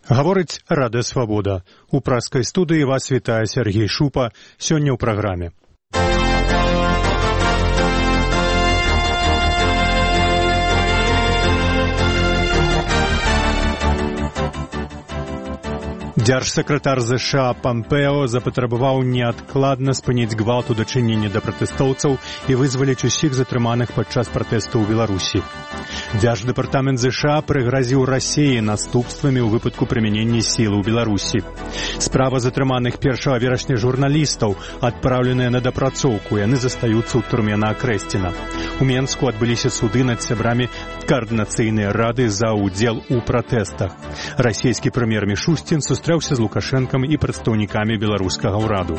Гаворыць Радыё Свабода. У праскай студыі вас вітае Сергей Шупа. Сёння ў праграме. Дзяржсакратар США Пампео запатрабаваў неадкладна спыніць гвалт у дачыненні да пратэстоўцаў і вызваліць усіх затрыманых падчас пратэсту ў Беларусі. Дзярждэпартамент США прыгразіў Расіі наступствамі ў выпадку прымянення сілы ў Беларусі. Справа затрыманых 1 верасня журналістаў адпраўленыя на дапрацоўку, яны застаюцца ў турме на Акрэсціна. У Менску адбыліся суды над сябрамі каардынацыйнай рады за ўдзел у пратэстах. Расійскі прэм'ер Мішустін сустрэўся з Лукашэнкам і прадстаўнікамі беларускага ўраду.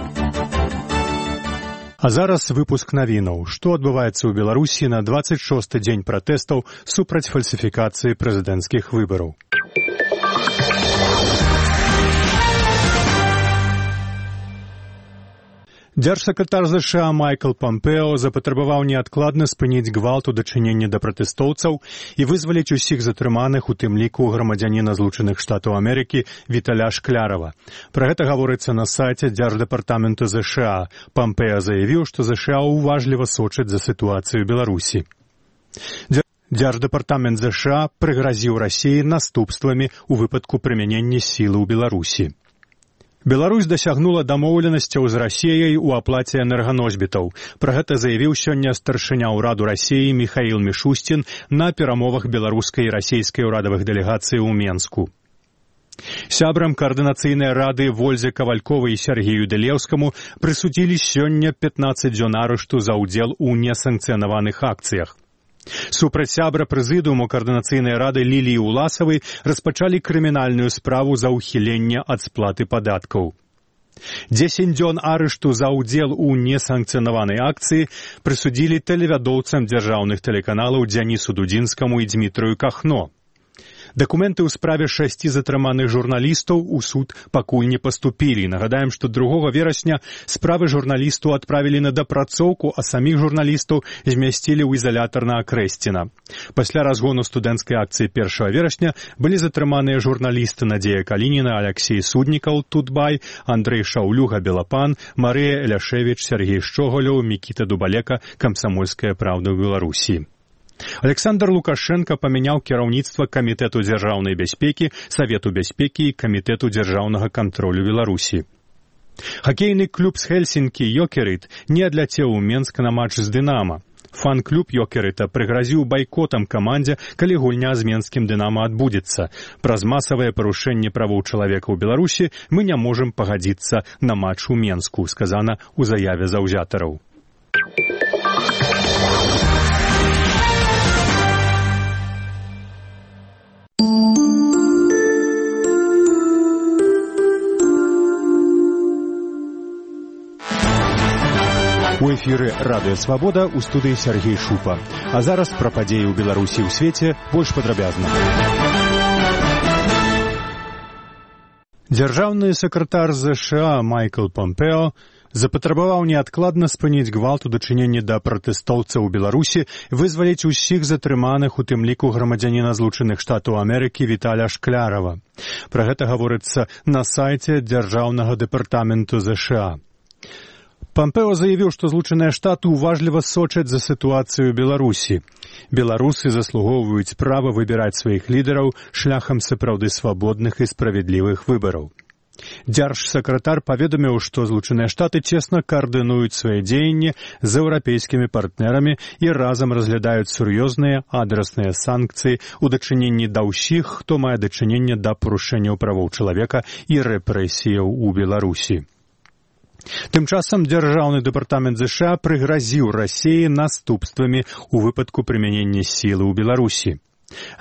А зараз выпуск навінаў. Што адбываецца ў Беларусі на 26-й дзень пратэстаў супраць фальсіфікацыі прэзідэнцкіх выбараў. Дзяржсакратар США Майкл Пампео запатрабаваў неадкладна спыніць гвалт у дачыненні да пратэстоўцаў і вызваліць усіх затрыманых, у тым ліку грамадзяніна Злучаных Штатаў Амерыкі Віталя Шклярава. Пра гэта гаворыцца на сайце Дзярждэпартаменту США. Пампео заявіў, што США уважліва сочаць за сітуацыю Беларусі. Дзярждэпартамент США прыгразіў Расіі наступствамі ў выпадку прымянення сілы ў Беларусі. Беларусь дасягнула дамоўленасцяў з Расіяй у аплаце энерганосьбітаў. Пра гэта заявіў сёння старшыня ўраду Расіі Міхаіл Мішусцін на перамовах беларускай і расійскай урадавых дэлегацый у Менску. Сябрам каардынацыйнай рады Вользе Кавальковай і Сергею Дэлеўскаму прысудзілі сёння 15 дзён арышту за ўдзел у несанкцыянаваных акцыях. Супраць сябра прэзідыуму каардынацыйнай рады Ліліі Уласавай распачалі крымінальную справу за ўхіленне ад сплаты падаткаў. 10 дзён арышту за ўдзел у несанкцыянаванай акцыі прысудзілі тэлевядоўцам дзяржаўных тэлеканалаў Дзянісу Дудзінскаму і Дзмітрыю Кахно. Дакументы ў справе 6 затрыманых журналістаў у суд пакуль не паступілі. Нагадаем, што 2 верасня справы журналістаў адправілі на дапрацоўку, а саміх журналістаў змясцілі ў изалятар на Акрэсціна. Пасля разгону студэнцкай акцыі 1 верасня былі затрыманыя журналісты Надзея Калініна, Аляксей Суднікаў, Тутбай, Андрэй Шаўлюга, Белапан, Марыя Эляшевіч, Сергей Шчоголёў, Мікіта Дубалека, Камсамольская праўда ў Беларусі. Александр Лукашенко памяняў кіраўніцтва Камітэту дзяржаўнай бяспекі, Савету бяспекі і Камітэту дзяржаўнага кантролю Беларусі. Хакейны клуб з Хельсінкі «Йокерит» не адляцеў у Менск на матч з «Дынама». Фан-клуб «Йокерыта» прыгразіў байкотам камандзе, калі гульня з менскім «Дынама» адбудзецца. Праз масавае парушэнне правоў чалавека ў Беларусі мы не можам пагадзіцца на матч у Менску, сказана ў заяве заўзятараў. У эфіры Радыё Свабода, у студыі Сергей Шупа. А зараз пра падзеі ў Беларусі і ў свеце больш падрабязна. Дзяржаўны сакратар США Майкл Пампео запатрабаваў неадкладна спыніць гвалт у дачыненні да пратэстоўцаў у Беларусі, вызваліць усіх затрыманых, у тым ліку грамадзяніна Злучаных Штатаў Амерыкі Віталя Шклярава. Пра гэта гаворыцца на сайце Дзяржаўнага дэпартаменту США. Пампео заявіў, што Злучаныя Штаты уважліва сочаць за сітуацыю Беларусі. Беларусы заслугоўваюць права выбіраць сваіх лідараў шляхам сапраўды свабодных і справядлівых выбараў. Дзяржсакратар паведаміў, што Злучаныя Штаты цесна каардынуюць свае дзеянні з еўрапейскімі партнерамі і разам разглядаюць сур'ёзныя адрасныя санкцыі ў дачыненні да ўсіх, хто мае дачыненне да парушэнняў правоў чалавека і рэпрэсіяў у Беларусі. Тым часам Дзяржаўны дэпартамент США прыгразіў Расіі наступствамі ў выпадку прымянення сілы ў Беларусі.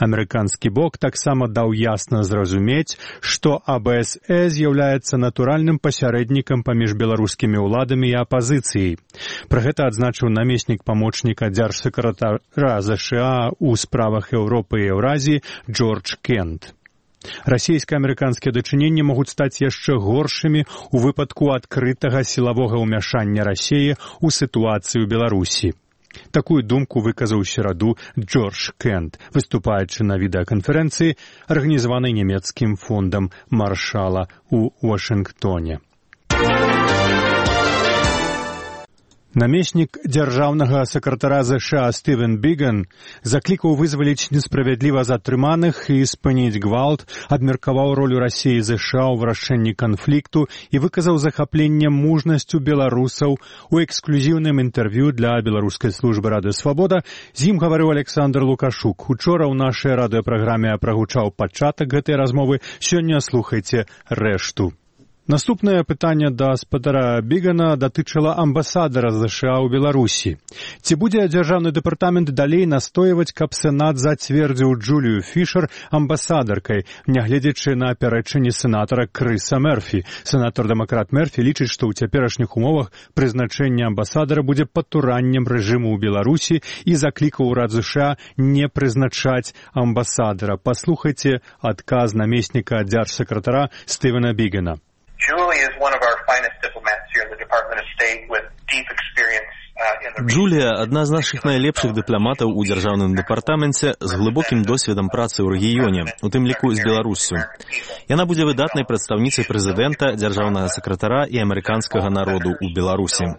Амерыканскі бок таксама даў ясна зразумець, што АБСЕ з'яўляецца натуральным пасярэднікам паміж беларускімі ўладамі і апазіцыяй. Пра гэта адзначыў намеснік памочніка дзяржсакратара США ў справах Еўропы і Еўразіі Джордж Кент. Расійска-амерыканскія дачыненні могуць стаць яшчэ горшымі ў выпадку адкрытага сілавога ўмяшання Расіі ў сітуацыю Беларусі. Такую думку выказаў у сераду Джордж Кент, выступаючы на відэаканферэнцыі, арганізаванай нямецкім фондам Маршала ў Вашынгтоне. Намеснік дзяржаўнага сакратара ЗША Стывен Біган заклікаў вызваліць несправядліва затрыманых і спыніць гвалт, абмеркаваў ролю Расіі і ЗША ў вырашэнні канфлікту і выказаў захапленне мужнасцю беларусаў. У эксклюзіўным інтэрв'ю для беларускай службы Радыё Свабода з ім гаварыў Александр Лукашук. Учора ў нашай радыёпраграме прагучаў пачатак гэтай размовы, сёння слухайце рэшту. Наступнае пытанне да гаспадара Бігана датычыла амбасадара ЗША ў Беларусі. Ці будзе дзяржаўны дэпартамент далей настойваць, каб Сенат зацвердзіў Джулію Фішер амбасадаркай, нягледзячы на пярэчанні сенатара Крыса Мерфі? Сенатар-дэмакрат Мерфі лічыць, што ў цяперашніх умовах прызначэнне амбасадара будзе патураннем рэжыму ў Беларусі і заклікаў урад ЗША не прызначаць амбасадара. Паслухайце адказ намесніка дзяржсакратара Стывена Бігана. Джулія – адна з нашых найлепшых дыпламатаў у дзяржаўным дэпартаменце з глыбокім досведам працы ў рэгіёне, у тым ліку з Беларуссю. Яна будзе выдатнай прадстаўніцай прэзідэнта, дзяржаўнага сакратара і амерыканскага народу ў Беларусі.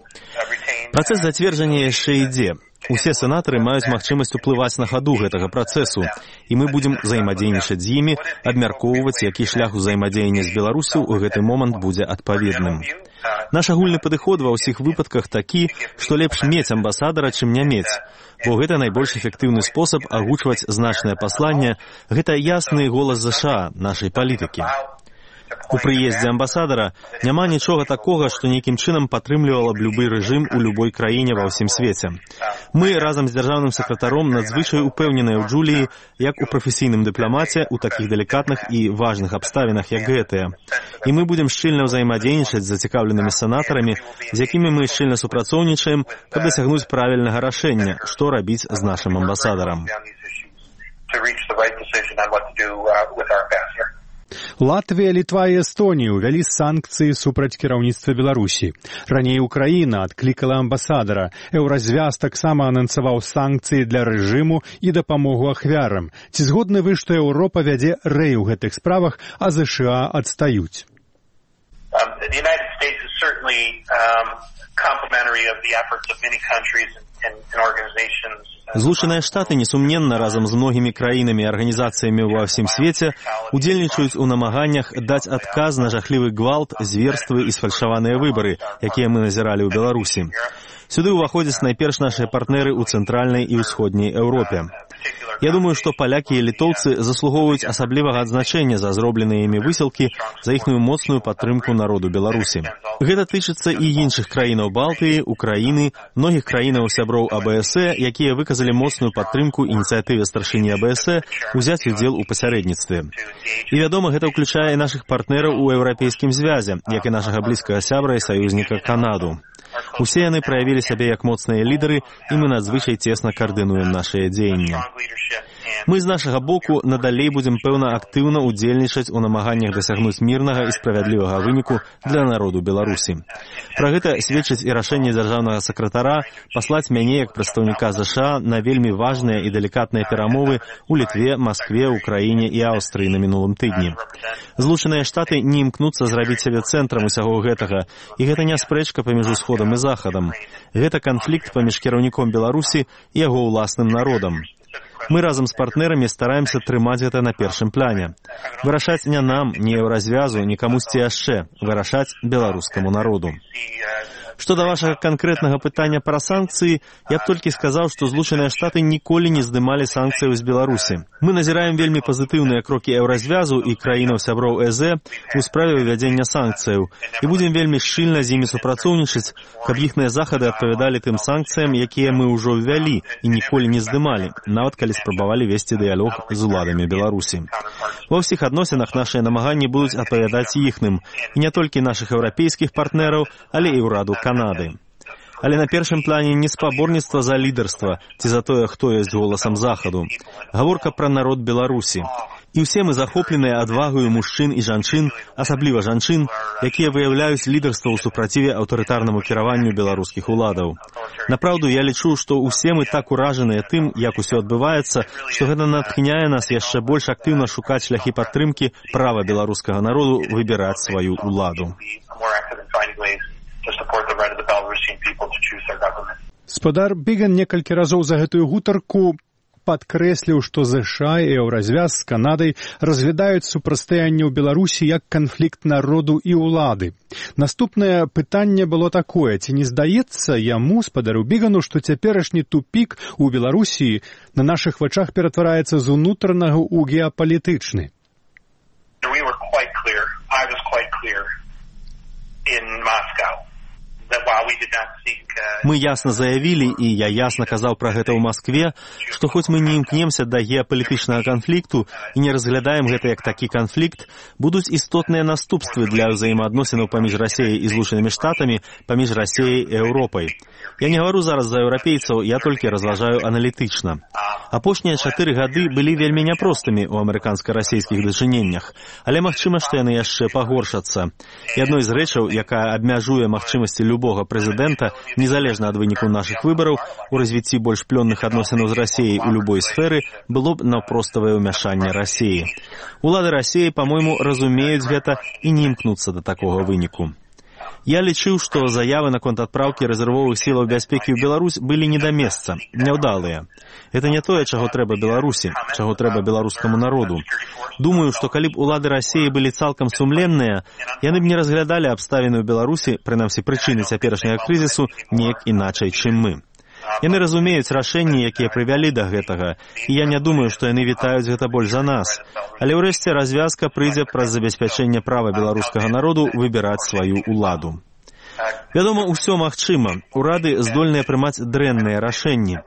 Працэс зацверджання яшчэ ідзе. Усе сенатары маюць магчымасць уплываць на хаду гэтага працэсу, і мы будзем взаемадзейнічаць з імі, абмяркоўваць, які шлях узаемадзеяння з Беларусю ў гэты момант будзе адпаведным. Наш агульны падыход ва ўсіх выпадках такі, што лепш мець амбасадара, чым не мець, бо гэта найбольш эфектыўны спосаб агучваць значнае пасланне, гэта ясны голас ЗША, нашай палітыкі. У прыездзе амбасадара няма нічога такога, што нейкім чынам падтрымлівала б любы рэжым у любой краіне ва ўсім свеце. Мы разам з дзяржаўным сакратаром надзвычай упэўненыя ў Джуліі, як у прафесійным дыпламаце ў такіх далікатных і важных абставінах, як гэтыя. І мы будзем шчыльна ўзаемадзейнічаць з зацікаўленымі сенатарамі, з якімі мы шчыльна супрацоўнічаем, каб дасягнуць правільнага рашэння, што рабіць з нашым амбасадарам. Латвія, Літва і Эстонія ўвялі санкцыі супраць кіраўніцтва Беларусі. Раней Украіна адклікала амбасадара. Еўразвяз таксама анансаваў санкцыі для рэжыму і дапамогу ахвярам. Ці згодны вы, што Еўропа вядзе рэй у гэтых справах, а ЗША адстаюць? Злучаныя Штаты, несумненна, разам з многімі краінамі і арганізацыямі ва ўсім свеце удзельнічаюць у намаганнях даць адказ на жахлівы гвалт, зверствы і сфальшаваныя выбары, якія мы назіралі ў Беларусі. Сюды ўваходзяць найперш нашыя партнеры ў цэнтральнай і ўсходняй Еўропе. Я думаю, што палякі і літоўцы заслугоўваюць асаблівага адзначэння за зробленыя імі высілкі, за іхную моцную падтрымку народу Беларусі. Гэта тычыцца і іншых краінаў Балтыі, Украіны, многіх краінаў сяброў АБСЭ, якія выказалі моцную падтрымку ініцыятыве старшыні АБСЭ узяць удзел у пасярэдніцтве. І, вядома, гэта ўключае і нашых партнераў у Еўрапейскім звязе, як і нашага блізкага сябра і саюзніка Канаду. Усе яны праявілі сябе як моцныя лідары, і мы надзвычай цесна каардынуем нашыя дзеянні. Мы з нашага боку надалей будзем, пэўна, актыўна удзельнічаць у намаганнях дасягнуць мірнага і справядлівага выніку для народу Беларусі. Пра гэта сведчыць і рашэнне дзяржаўнага сакратара паслаць мяне як прадстаўніка ЗША на вельмі важныя і далікатныя перамовы ў Літве, Маскве, Украіне і Аўстрыі на мінулым тыдні. Злучаныя Штаты не імкнуцца зрабіць сябе цэнтрам усяго гэтага, і гэта не спрэчка паміж Усходам і Захадам. Гэта канфлікт паміж кіраўніком Беларусі і яго ўласным народам. Мы разам з партнерамі стараемся трымаць гэта на першым пляне. Вырашаць не нам, не Еўразвязу, ні камусьці яшчэ. Вырашаць беларускаму народу. Што да вашага канкрэтнага пытання пра санкцыі, я б толькі сказаў, што Злучаныя Штаты ніколі не здымалі санкцыяў з Беларусі. Мы назіраем вельмі пазітыўныя крокі Еўразвязу і краінаў-сяброў ЭЗ у справе ўвядзення санкцыяў і будзем вельмі шчыльна з імі супрацоўнічаць, каб іхныя захады адпавядалі тым санкцыям, якія мы ўжо ўвялі і ніколі не здымалі, нават калі спрабавалі весці дыялог з уладамі Беларусі. Ва ўсіх адносінах нашыя намаганні будуць адпавядаць іхным, і не толькі нашых еўрапейскіх партнераў, але і ўраду Канады. Але на першым плане не спаборніцтва за лідарства ці за тое, хто ёсць голасам Захаду. Гаворка пра народ Беларусі. І ўсе мы захопленыя адвагаю мужчын і жанчын, асабліва жанчын, якія выяўляюць лідарства ў супраціве аўтарытарнаму кіраванню беларускіх уладаў. Напраўду, я лічу, што ўсе мы так уражаныя тым, як усё адбываецца, што гэта натхняе нас яшчэ больш актыўна шукаць шляхі падтрымкі права беларускага народу выбіраць сваю уладу. Спадар Біган некалькі разоў за гэтую гутарку падкрэсліў, што ЗША і Еўразвяз з Канадай разглядаюць супрацьстаянне ў Беларусі як канфлікт народу і ўлады. Наступнае пытанне было такое: ці не здаецца яму, спадару Бігану, што цяперашні тупік у Беларусі на нашых вачах ператвараецца з унутранага ў геапалітычны? Мы ясна заявілі, і я ясна казаў пра гэта ў Маскве, што хоць мы не імкнемся да геапалітычнага канфлікту і не разглядаем гэта як такі канфлікт, будуць істотныя наступствы для ўзаемаадносінаў паміж Расіяй і Злучанымі Штатамі, паміж Расіяй і Еўропай. Я не гавару зараз за еўрапейцаў, я толькі разважаю аналітычна. Апошнія 4 гады былі вельмі няпростымі ў амерыканска-расійскіх дачыненнях, але магчыма, што яны яшчэ пагоршацца. І адной з рэчаў, якая абмяжуе магчымасці любога прэзідэнта, незалежна ад выніку нашых выбараў, у развіцці больш плённых адносінаў з Расіяй у любой сферы было б наўпроставае ўмяшанне Расіі. Улады Расіі, па-мойму, разумеюць гэта і не імкнуцца да такога выніку. Я лічыў, што заявы наконт адпраўкі рэзервовых сілаў бяспекі ў Беларусь былі не да месца, няўдалыя. Гэта не тое, чаго трэба Беларусі, чаго трэба беларускаму народу. Думаю, што калі б улады Расіі былі цалкам сумленныя, яны б не разглядалі абставіны ў Беларусі, прынамсі прычыны цяперашняга крызісу, неяк іначай, чым мы. Яны разумеюць рашэнні, якія прывялі да гэтага, і я не думаю, што яны вітаюць гэта больш за нас. Але ўрэшце развязка прыйдзе праз забеспячэнне права беларускага народу выбіраць сваю уладу. Вядома, усё магчыма. Урады здольныя прымаць дрэнныя рашэнні.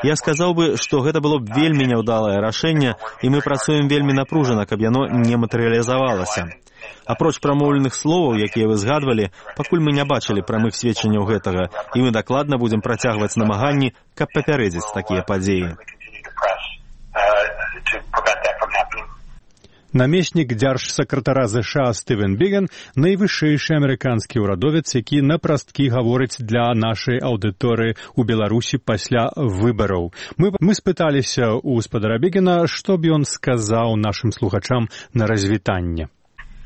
Я сказаў бы, што гэта было б вельмі няўдалае рашэнне, і мы працуем вельмі напружана, каб яно не матэрыялізавалася. Апроч прамоўленых словаў, якія вы згадвалі, пакуль мы не бачылі прамых сведчанняў гэтага, і мы дакладна будзем працягваць намаганні, каб папярэдзіць такія падзеі. Намеснік дзяржсакратара ЗША Стывен Біган – найвышэйшы амерыканскі ўрадовец, які напрасткі гаворыць для нашай аўдыторыі ў Беларусі пасля выбараў. Мы спыталіся ў спадара Бігана, што б ён сказаў нашым слухачам на развітанне.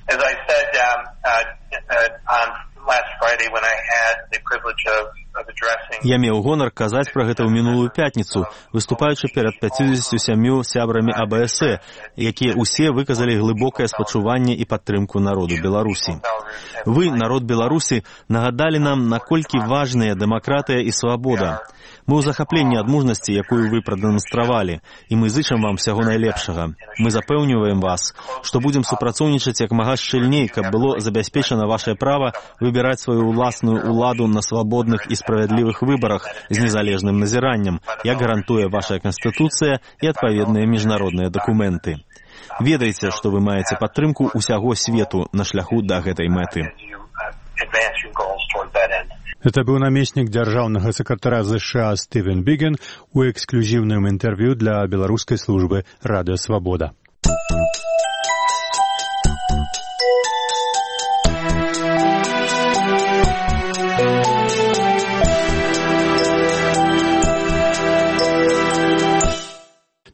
As I said on last Friday when I had the privilege of addressing... Я меў гонар казаць пра гэта ў мінулую пятніцу, выступаючы перад 57 сябрамі АБС, якія ўсе выказалі глыбокае спачуванне і падтрымку народу Беларусі. Вы, народ Беларусі, нагадалі нам, наколькі важныя дэмакратыя і свабода. Мы ў захапленні ад мужнасці, якую вы прадэманстравалі, і мы зычым вам усяго найлепшага. Мы запэўніваем вас, што будзем супрацоўнічаць як мага шчыльней, каб было забяспечана вашае права выбіраць сваю ўласную уладу на свабодных і справядлівых выбарах з незалежным назіраннем, як гарантуе ваша Канстытуцыя і адпаведныя міжнародныя дакументы. Ведайце, што вы маеце падтрымку ўсяго свету на шляху да гэтай мэты. Это быў намеснік дзяржаўнага сакратара ЗША Стывен Біган у эксклюзіўным інтэрв'ю для беларускай службы «Радыё Свабода».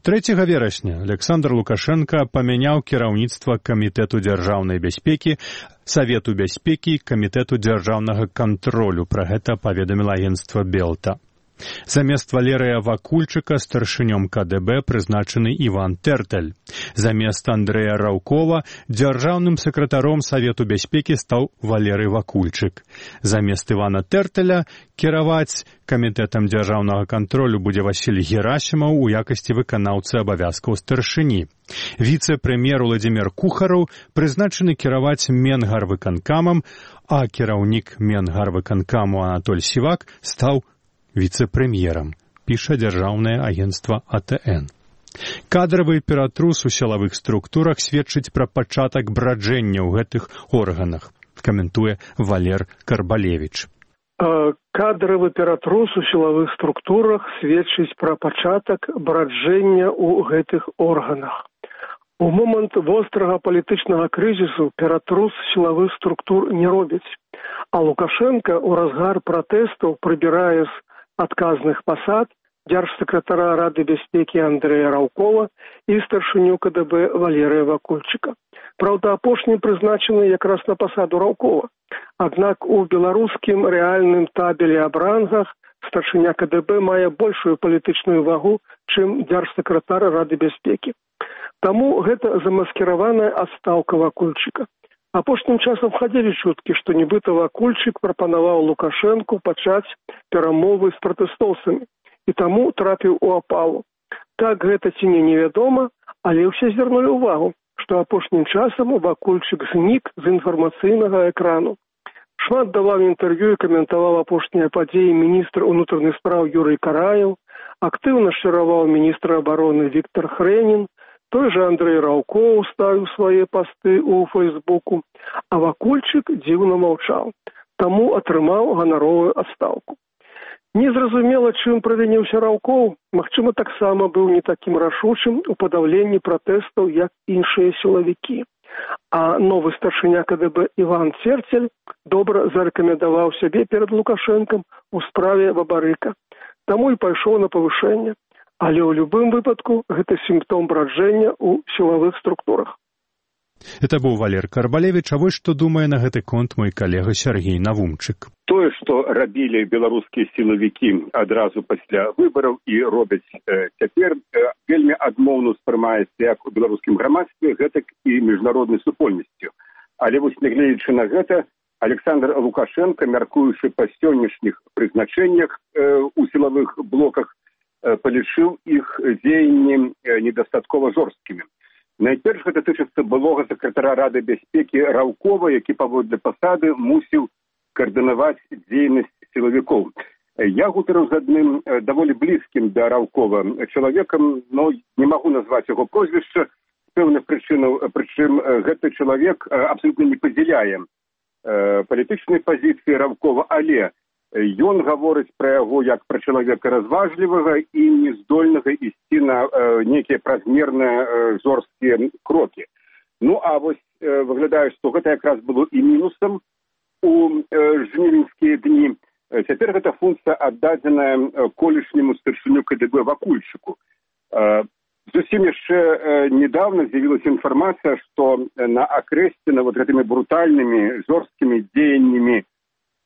Трэцяга верасня Александр Лукашенко памяняў кіраўніцтва Камітэту дзяржаўнай бяспекі, Савету бяспекі, Камітэту дзяржаўнага кантролю. Пра гэта паведаміла агенцтва Белта. Замест Валерыя Вакульчыка старшынём КДБ прызначаны Іван Тэртэль. Замест Андрэя Раўкова дзяржаўным сакратаром Савету бяспекі стаў Валерый Вакульчык. Замест Івана Тэртэля кіраваць Камітэтам дзяржаўнага кантролю будзе Васіль Герасімаў у якасці выканаўцы абавязкаў старшыні. Віцэ-прэм'ер Уладзімір Кухараў прызначаны кіраваць Менгарвыканкамам, а кіраўнік Менгарвыканкаму Анатоль Сівак стаў віцэ-прэм'ерам, піша дзяржаўнае агенцтва АТН. Кадравы ператрус у сілавых структурах сведчыць пра пачатак браджэння ў гэтых органах, каментуе Валер Карбалевіч. Кадравы ператрус у сілавых структурах сведчыць пра пачатак браджэння ў гэтых органах. У момант вострага палітычнага крызісу ператрус сілавых структур не робіць, а Лукашенко ў разгар пратэстаў прыбірае з адказных пасад дзяржсакратара Рады бяспекі Андрэя Раўкова і старшыню КДБ Валерыя Вакульчыка. Праўда, апошні прызначаны якраз на пасаду Раўкова. Аднак у беларускім рэальным табелі аб рангах старшыня КДБ мае большую палітычную вагу, чым дзяржсакратар Рады бяспекі. Таму гэта замаскіраваная адстаўка Вакульчыка. Апошнім часам хадзілі чуткі, што нібыта Вакульчык прапанаваў Лукашэнку пачаць перамовы з пратэстоўцамі і таму трапіў у апалу. Так гэта ці не невядома, але ўсе звярнулі ўвагу, што апошнім часам Вакульчык знік з інфармацыйнага экрану. Шмат даваў інтэрв'ю і каментаваў апошнія падзеі міністр унутраных спраў Юрый Караеў, актыўна шчыраваў міністр абароны Віктор Хрэнін, той жа Андрэй Раўкоў ставіў свае пасты ў Фэйсбуку, а Вакульчык дзіўна маўчаў, таму атрымаў ганаровую адстаўку. Незразумела, чым правініўся Раўкоў, магчыма, таксама быў не такім рашучым у падаўленні пратэстаў, як іншыя сілавікі. А новы старшыня КДБ Іван Церцель добра зарэкамендаваў сябе перад Лукашэнкам у справе Бабарыка, таму і пайшоў на павышэнне. Але ў любым выпадку гэта сімптом браджэння ў сілавых структурах. Это быў Валер Карбалевіч, а вось што думае на гэты конт мой калега Сергей Навумчык. Тое, што рабілі беларускія сілавікі адразу пасля выбараў і робяць цяпер, вельмі адмоўна ўспрымаецца як у беларускім грамадстве, гэтак і міжнароднай супольнасцю. Але вось нягледзячы на гэта, Александр Лукашенко, мяркуючы па сённяшніх прызначэннях у сілавых блоках, палічыў іх дзеянні недастаткова жорсткімі. Найперш гэта тычыцца былога сакратара Рады бяспекі Раўкова, які паводле пасады мусіў каардынаваць дзейнасць сілавікоў. Я гутарыў з адным даволі блізкім да Раўкова чалавекам, но не магу назваць яго прозвішча з пэўных прычынаў, прычым гэты чалавек абсалютна не падзяляе палітычнай пазіцыі Раўкова, але ён гаворыць пра яго як пра чалавека разважлівага і нездольнага ісці на нейкія празмерныя жорсткія крокі. Ну, а вось выглядае, што гэта якраз было і мінусам у жнівеньскія дні. Цяпер гэта функцыя аддадзеная колішняму старшыню КДБ Вакульчыку. Зусім яшчэ недавно з'явілася інфармацыя, што на акрэсціна вот гэтымі брутальнымі жорсткімі дзеяннямі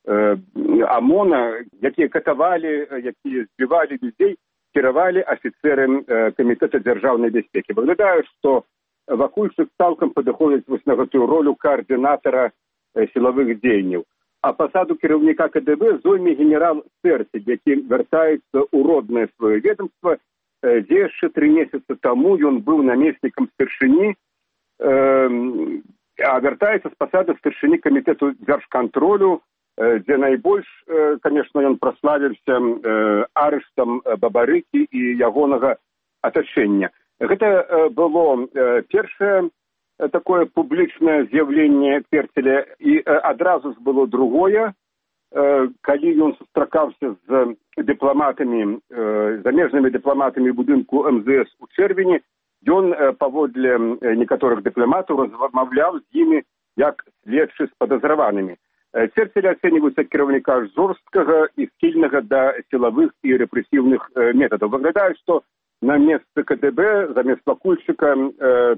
ОМОНа, якія катавалі, якія збівалі людзей, кіравалі афіцэры Камітэта дзяржаўнай бяспекі. Выглядае, што Вакульчык цалкам падыходзіць вось на гэтую ролю каардынатара сілавых дзеянняў. А пасаду кіраўніка КДБ зойме генерал Церцель, які вяртаецца ў роднае сваё ведомства, дзе яшчэ 3 месяцы таму ён быў намеснікам старшыні, а вяртаецца з пасады старшыні камітэту дзяржкантролю, дзе найбольш, конечно, ён праславіўся арыштам Бабарыкі і ягонага атачэння. Гэта было першае такое публічнае з'яўленне Церцеля, і адразу ж было другое, калі ён сустракаўся з дыпламатамі, замежнымі дыпламатамі будынку МЗС у чэрвені, ён паводле некаторых дыпламатаў размаўляў з імі як следчы з падазраванымі. Церцель ацэньваецца кіраўніка жорсткага і схільнага да сілавых і рэпрэсіўных метадаў. Выглядае, што на месцы КДБ замест Вакульчыка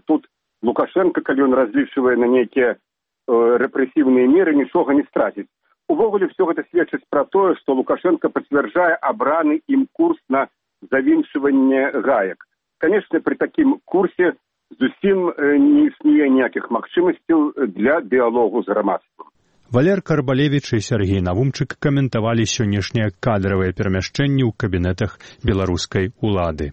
тут Лукашенко, калі ён разлічвае на нейкія рэпрэсіўныя меры, нічога не страціць. Увогуле, все гэта сведчыць пра тое, што Лукашенко пацвярджае абраны ім курс на завіншванне гаек. Канешне, пры такім курсе зусім не існуе ніякіх магчымасцяў для дыялогу з грамадствам. Валер Карбалевіч і Сергей Навумчык каментавалі сённяшнія кадравыя перамяшчэнні ў кабінетах беларускай улады.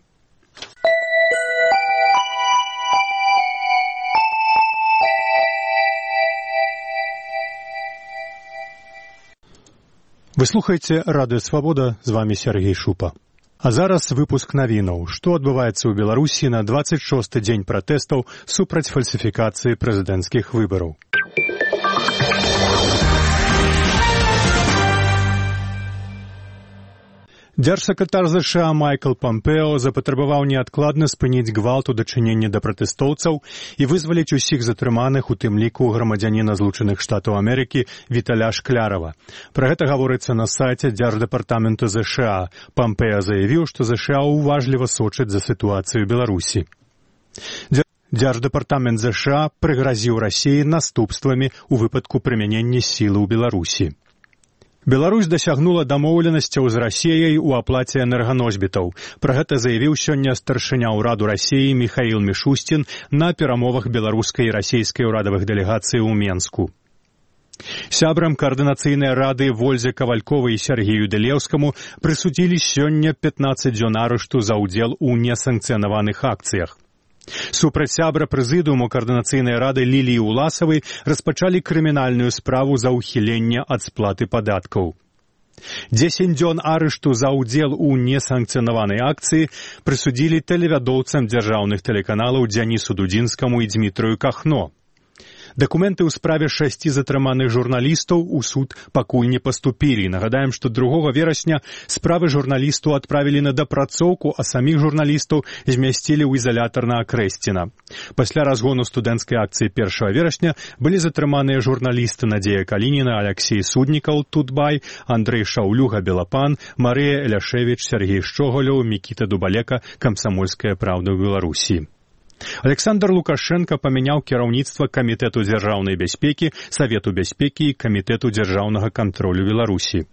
Вы слухаеце Радыё Свабода, з вамі Сергей Шупа. А зараз выпуск навінаў, што адбываецца ў Беларусі на 26-й дзень пратэстаў супраць фальсіфікацыі прэзідэнцкіх выбараў. Дзяржсакратар ЗША Майкл Помпео запатрабаваў неадкладна спыніць гвалт у дачыненні да пратэстоўцаў і вызваліць усіх затрыманых, у тым ліку грамадзяніна Злучаных Штатаў Амерыкі Віталя Шклярова. Пра гэта гаворыцца на сайце Дзярждэпартаменту ЗША. Помпео заявіў, што ЗША уважліва сочыць за сітуацыю Беларусі. Дзярждэпартамент ЗША прыгразіў Расіі наступствамі ў выпадку прымянення сілы ў Беларусі. Беларусь дасягнула дамоўленасцяў з Расіяй у аплаце энерганосьбітаў. Пра гэта заявіў сёння старшыня ўраду Расіі Міхаіл Мішусцін на перамовах беларускай і расійскай урадавых дэлегацый у Менску. Сябрам каардынацыйнай рады Вользе Кавальковай і Сергею Дэлеўскаму прысудзілі сёння 15 дзён арышту за ўдзел у несанкцыянаваных акцыях. Супраць сябра прэзідыуму каардынацыйнай рады Ліліі Уласавай распачалі крымінальную справу за ўхіленне ад сплаты падаткаў. 10 дзён арышту за ўдзел у несанкцыянаванай акцыі прысудзілі тэлевядоўцам дзяржаўных тэлеканалаў Дзянісу Дудзінскаму і Дзмітрыю Кахно. Дакументы ў справе 6 затрыманых журналістаў у суд пакуль не паступілі. Нагадаем, што 2 верасня справы журналістаў адправілі на дапрацоўку, а саміх журналістаў змясцілі ў ізалятар на Акрэсціна. Пасля разгону студэнцкай акцыі 1 верасня былі затрыманыя журналісты Надзея Калініна, Аляксей Суднікаў, Тутбай, Андрэй Шаўлюга, Белапан, Марыя Эляшевіч, Сергей Шчоголяў, Мікіта Дубалека, Камсамольская праўда ў Беларусі. Александр Лукашенко памяняў кіраўніцтва Камітэту дзяржаўнай бяспекі, Савету бяспекі і Камітэту дзяржаўнага кантролю Беларусі.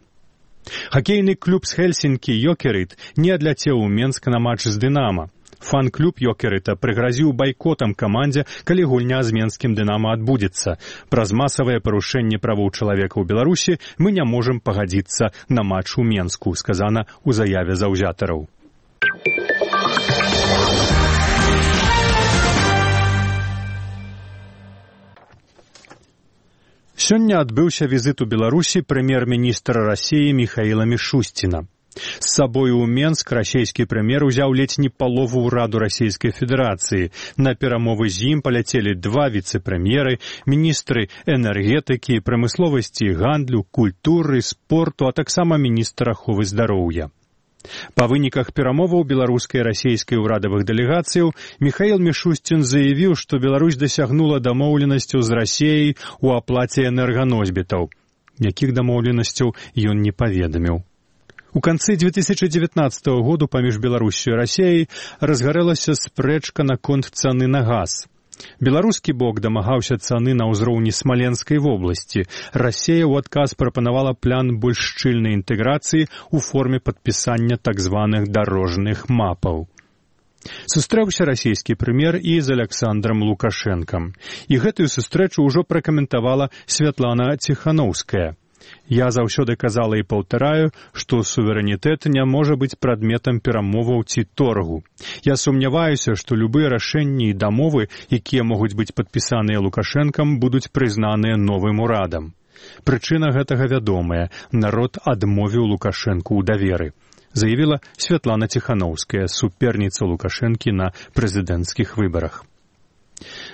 Хакейны клуб з Хельсінкі «Йокерит» не адляцеў у Менск на матч з «Дынама». Фан-клуб «Йокерыта» прыгразіў байкотам камандзе, калі гульня з менскім «Дынама» адбудзецца. Праз масавае парушэнне правоў чалавека ў Беларусі мы не можам пагадзіцца на матч у Менску, сказана ў заяве заўзятараў. Сёння адбыўся візіт у Беларусі прэм'ер-міністра Расіі Міхаіла Мішусціна. З сабою ў Менск расійскі прэм'ер узяў ледзь не палову ўраду Расійскай Федэрацыі. На перамовы з ім паляцелі 2 віцэ-прэм'еры, міністры энергетыкі, прамысловасці і гандлю, культуры, спорту, а таксама міністр аховы здароўя. Па выніках перамоваў беларускай і расійскай урадавых дэлегацыяў Міхаіл Мішусцін заявіў, што Беларусь дасягнула дамоўленасцяў з Расіяй у аплаце энерганосьбітаў. Якіх дамоўленасцяў ён не паведаміў. У канцы 2019 году паміж Беларуссю і Расіяй разгарэлася спрэчка наконт цаны на газ. Беларускі бок дамагаўся цаны на ўзроўні Смаленскай вобласці. Расія ў адказ прапанавала план больш шчыльнай інтэграцыі ў форме падпісання так званых дарожных мапаў. Сустрэўся расійскі прэм'ер і з Александрам Лукашэнкам. І гэтую сустрэчу ўжо пракаментавала Святлана Ціханаўская. Я заўсёды казала і паўтараю, што суверэнітэт не можа быць прадметам перамоваў ці торгу. Я сумняваюся, што любыя рашэнні і дамовы, якія могуць быць падпісаныя Лукашэнкам, будуць прызнаныя новым урадам. Прычына гэтага вядомая. Народ адмовіў Лукашэнку ў даверы, заявіла Святлана Ціханаўская, суперніца Лукашэнкі на прэзідэнцкіх выбарах.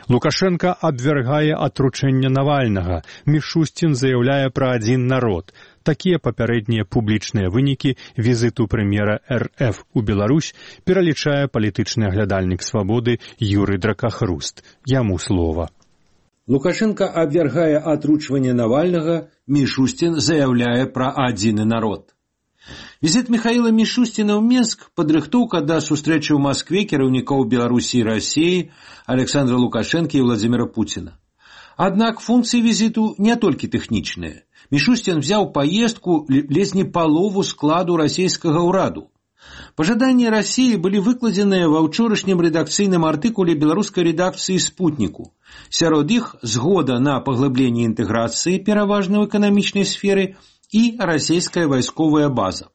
Лукашенко абвяргае атручэнне Навальнага. Мішусцін заяўляе пра адзін народ. Такія папярэднія публічныя вынікі візіту прэм'ера РФ у Беларусь пералічае палітычны аглядальнік свабоды Юрый Дракахруст. Яму слова. Лукашенко абвяргае атручванне Навальнага, Мішусцін заяўляе пра адзіны народ. Візіт Міхаіла Мішусціна ў Менск, падрыхтоўка да сустрэчы ў Маскве кіраўнікоў Беларусі і Расіі, Александра Лукашэнкі і Владзіміра Пуціна. Аднак функцыі візіту не толькі тэхнічныя. Мішусцін взяў паездку ледзь не палову складу расійскага ўраду. Пажаданні Расіі былі выкладзеныя ва ўчорашнім рэдакцыйным артыкуле беларускай рэдакцыі «Спутніку». Сярод іх згода на паглыбленне інтэграцыі, пераважна ў эканамічнай сферы, і расійская вайсковая база.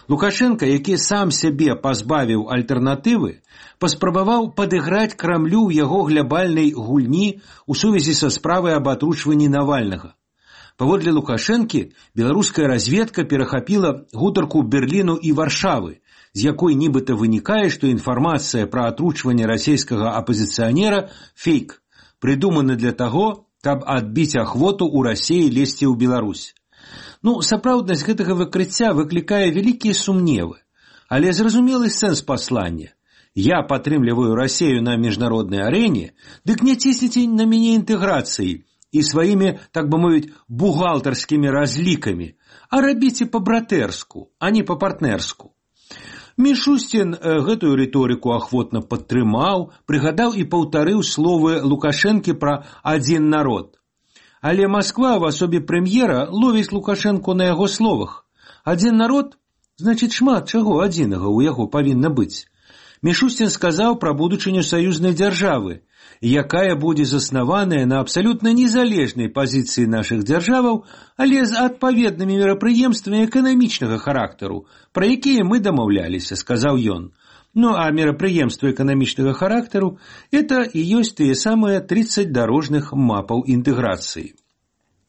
Лукашенко, які сам сябе пазбавіў альтэрнатывы, паспрабаваў падыграць Крамлю ў яго глябальнай гульні ў сувязі са справай аб атручванні Навальнага. Паводле Лукашэнкі, беларуская разведка перахапіла гутарку Берліну і Варшавы, з якой нібыта вынікае, што інфармацыя пра атручванне расійскага апазіцыянера – фейк, прыдуманы для таго, каб адбіць ахвоту ў Расіі лезці ў Беларусь. Сапраўднасць гэтага выкрыцця выклікае вялікія сумневы, але зразумелы сэнс паслання. Я падтрымліваю Расію на міжнароднай арэне, дык не цісніце на мяне інтэграцыі і сваімі, так бы мовіць, бухгалтарскімі разлікамі, а рабіце па-братэрску, а не па-партнерску. Мішустін гэтую рыторыку ахвотна падтрымаў, прыгадаў і паўтарыў словы Лукашэнкі пра адзін народ. Але Масква в асобе прэм'ера ловіць Лукашэнку на яго словах. Адзін народ, значыць шмат чаго адзінага ў яго павінна быць. Мішустін сказаў пра будучыню саюзнай дзяржавы, якая будзе заснаваная на абсалютна незалежнай пазіцыі нашых дзяржаваў, але з адпаведнымі мерапрыемствамі эканамічнага характару, пра якія мы дамаўляліся, сказаў ён. А мерапрыемствы эканамічнага характару – это і ёсць тыя самыя 30 дарожных мапаў інтэграцыі.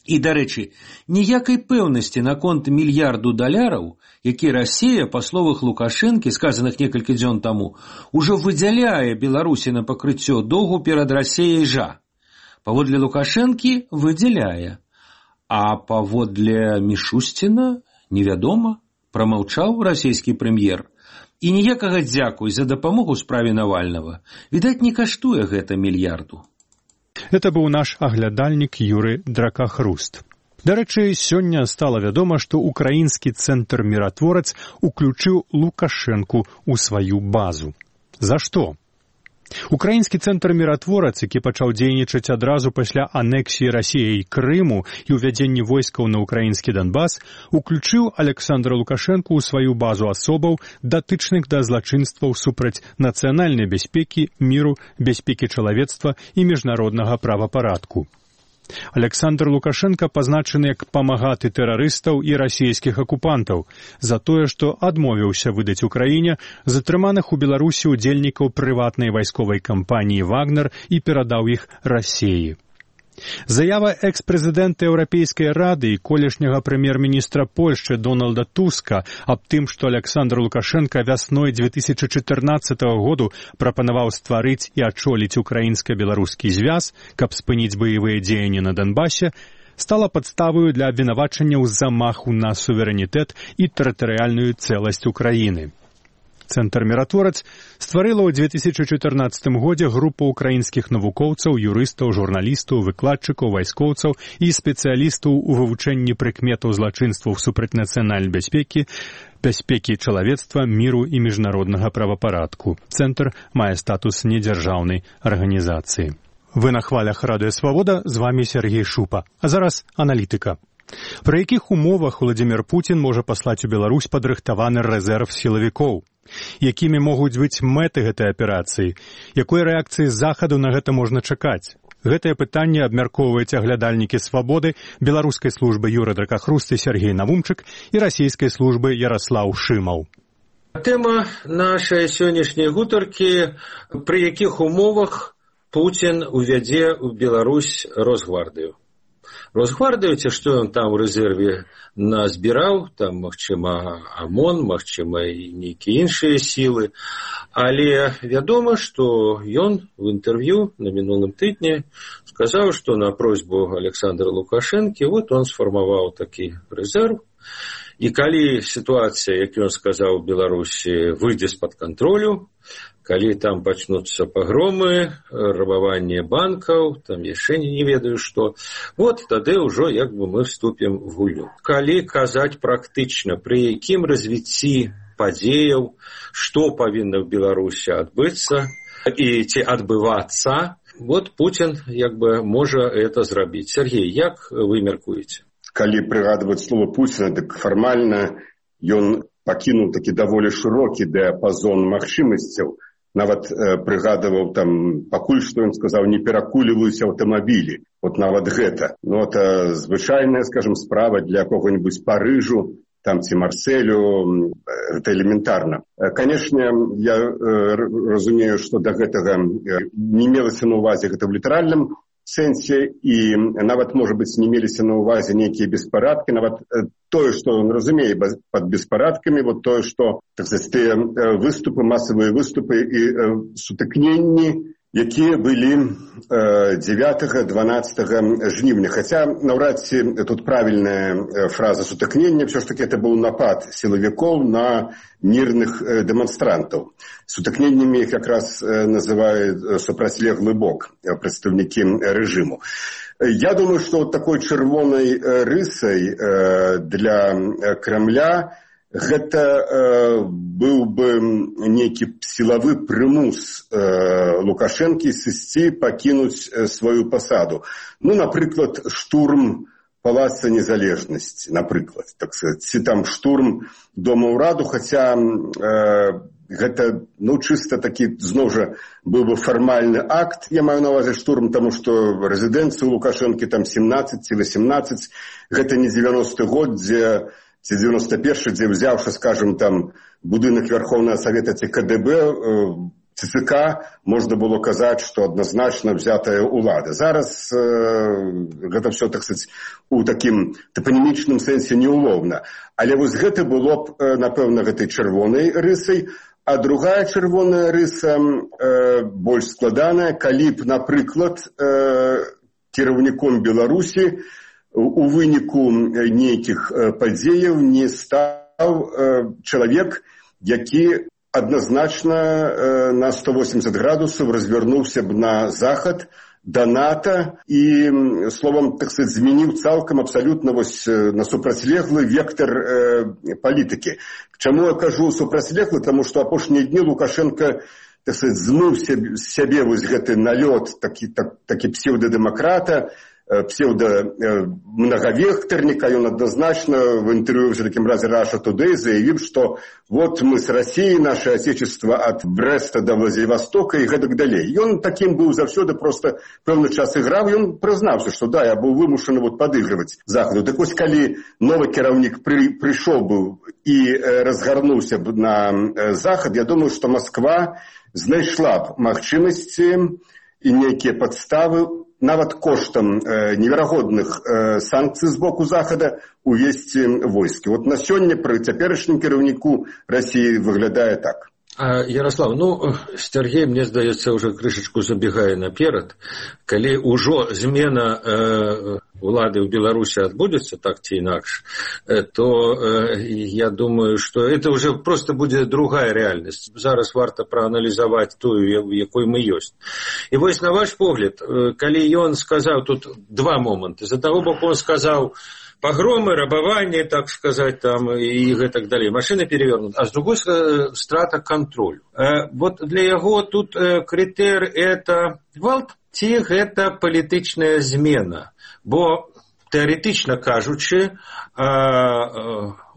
І, дарэчы, ніякай пэўнасці наконт $1 мільярдаў, які Расія, па словах Лукашэнкі, сказаных некалькі дзён таму, ужо выдзяляе Беларусі на пакрыццё доўгу перад Расіяй жа. Паводле Лукашэнкі выдзяляе, а паводле Мішусціна невядома, прамаўчаў расійскі прэм'ер. І ніякага дзякуй за дапамогу справе Навальнага. Відаць, не каштуе гэта мільярду. Это быў наш аглядальнік Юры Дракахруст. Дарэчы, сёння стала вядома, што украінскі цэнтр «Міратворац» уключыў Лукашэнку ў сваю базу. За што? Украінскі цэнтр «Міратворац», які пачаў дзейнічаць адразу пасля анексіі Расіяй Крыму і ўвядзення войскаў на украінскі Донбас, уключыў Александра Лукашэнку ў сваю базу асобаў, датычных да злачынстваў супраць нацыянальнай бяспекі, міру, бяспекі чалавецтва і міжнароднага правапарадку. Александр Лукашенко пазначаны як памагаты тэрарыстаў і расійскіх акупантаў за тое, што адмовіўся выдаць Украіне затрыманых у Беларусі удзельнікаў прыватнай вайсковай кампаніі «Вагнер» і перадаў іх Расіі. Заява экс-прэзідэнта Еўрапейскай рады і колішняга прэм'ер-міністра Польшчы Дональда Туска аб тым, што Александр Лукашенко вясной 2014 году прапанаваў стварыць і ачоліць украінска-беларускі звяз, каб спыніць баявыя дзеянні на Донбасе, стала падставаю для абвінавачання ў замаху на суверэнітэт і тэрытарыяльную цэласць Украіны. Цэнтр «Міратворац» стварыла ў 2014 годзе група ўкраінскіх навукоўцаў, юрыстаў, журналістаў, выкладчыкаў, вайскоўцаў і спецыялістаў у вывучэнні прыкметаў злачынстваў супраць нацыянальнай бяспекі, бяспекі чалавецтва, міру і міжнароднага правапарадку. Цэнтр мае статус недзяржаўнай арганізацыі. Вы на хвалях Радыё Свабода, з вамі Сергей Шупа. А зараз аналітыка. Пры якіх умовах Владзімір Пуцін можа паслаць у Беларусь падрыхтаваны рэзерв сілавікоў? Якімі могуць быць мэты гэтай аперацыі? Якой рэакцыі з захаду на гэта можна чакаць? Гэтае пытанне абмяркоўваюць аглядальнікі «Свабоды», беларускай службы Юры Дракахруст і Сергей Навумчык і расійскай службы Яраслаў Шымаў. Тэма нашай сённяшняй гутаркі, пры якіх умовах Пуцін увядзе ў Беларусь Росгвардыю. Росгвардыю, ці што ён там у рэзерве назбіраў, там, магчыма, ОМОН, магчыма, і нейкія іншыя сілы, але вядома, што ён в інтэрв'ю на мінулым тыдні сказаў, што на просьбу Александра Лукашэнкі он сфармаваў такі рэзерв, і калі сітуацыя, як ён сказаў, у Беларусі выйдзе з-пад кантролю, калі там пачнуцца пагромы, рабаванне банкаў, там яшчэ не ведаю што, тады ўжо як бы мы вступім в гульню. Калі казаць практычна, пры якім развіцці падзеяў, што павінна ў Беларусі адбыцца і ці адбывацца, Пуцін як бы можа это зрабіць. Сергей, як вы мяркуеце? Калі прыгадваць слова Пуціна, дык фармальна ён пакінуў такі даволі шырокі дыяпазон магчымасцяў. Нават прыгадываў там, пакуль што ён сказаў, не перакуліваюся аўтамабілі. Нават гэта. Это звычайная, скажем, справа для кого-нибудь Парыжу, там ці Марселю, это элементарна. Канешне, я разумею, што да гэтага не мелася на ўвазе гэта в літаральным сэнсе, і нават, можа быць, не меліся на ўвазе нейкія беспарадкі, нават тое, што ён разумее пад беспарадкамі, тое, што, так сказаць, тыя выступы, масавыя выступы і сутыкненні якія былі 9-12 жнівня. Хаця наўрад ці тут правільная фраза сутыкнення, все ж таки это быў напад сілавікоў на мірных дэманстрантаў. Сутыкненнямі іх якраз называюць супрацьлеглы бок прадстаўнікі рэжыму. Я думаю, што вот такой чырвонай рысай для Кремля гэта быў бы нейкі сілавы прымус Лукашэнкі сысці, пакінуць сваю пасаду. Ну, напрыклад, штурм Палаца Незалежнасці, напрыклад, так сказать, ці там штурм Дома ўраду, хаця гэта, ну, чыста такі, зноў жа, быў бы фармальны акт, я маю на ўвазе штурм, таму што рэзідэнцыя ў Лукашэнкі там 17 ці 18, гэта не 90-й год, дзе ці 91-й, дзе взяўшы, скажем, там будынак Верховнага Савета ці КДБ, ЦК, можна было казаць, што адназначна взятая ўлада. Зараз гэта все, так сказать, у такім топанімічным сэнсе неуловна. Але вось гэта было б, напэўна, гэтай чырвонай рысай. А другая чырвоная рыса больш складаная, калі б, напрыклад, кіраўніком Беларусі у выніку нейкіх падзеяў не стаў чалавек, які адназначна на 180 градусаў развярнуўся б на захад, да НАТО і, словам, так сказать, змяніў цалкам абсалютна вось на супрацьлеглы вектар палітыкі. Чаму я кажу супрацьлеглы? Таму што апошнія дні Лукашенко, так сказать, змыў з сябе вось гэты налёт такі псевдадэмакрата, псевдо-многовекторника, и он однозначно в интервью в таком разе Russia Today заявил, что вот мы с Россией, наше отечество от Бреста до Владивостока и гэтак далей. И он таким был завсёды, просто пэўны час играў, и он признался, что да, я был вымушаны вот подыгрывать Заходу. Так вось, калі новый кіраўнік пришел бы и разгарнуўся бы на Захад, я думаю, что Москва знайшла б магчымасці и некие подставы нават коштам неверагодных санкцый з боку Захада увесці войскі. Вот на сёння пры цяперашнім кіраўніку России выглядае так. Ярослав, ну, Сергей, мне здаецца, уже крышечку забегае наперад. Калі ўжо змена улады ў Беларусі адбудзецца, так ці інакш, то я думаю, что это уже просто будзе другая реальнасць. Зараз варта прааналізаваць тую, якой мы ёсць. І вось на ваш погляд, калі ён сказаў, тут два моманты. З аднаго боку он сказаў, погромы, рабование, так сказать, там, и так далее. Машины перевернуты. А с другой стороны, страта контролю. Вот для яго тут критер это гвалт, ці гэта палітычная змена. Бо, теоретично кажучы,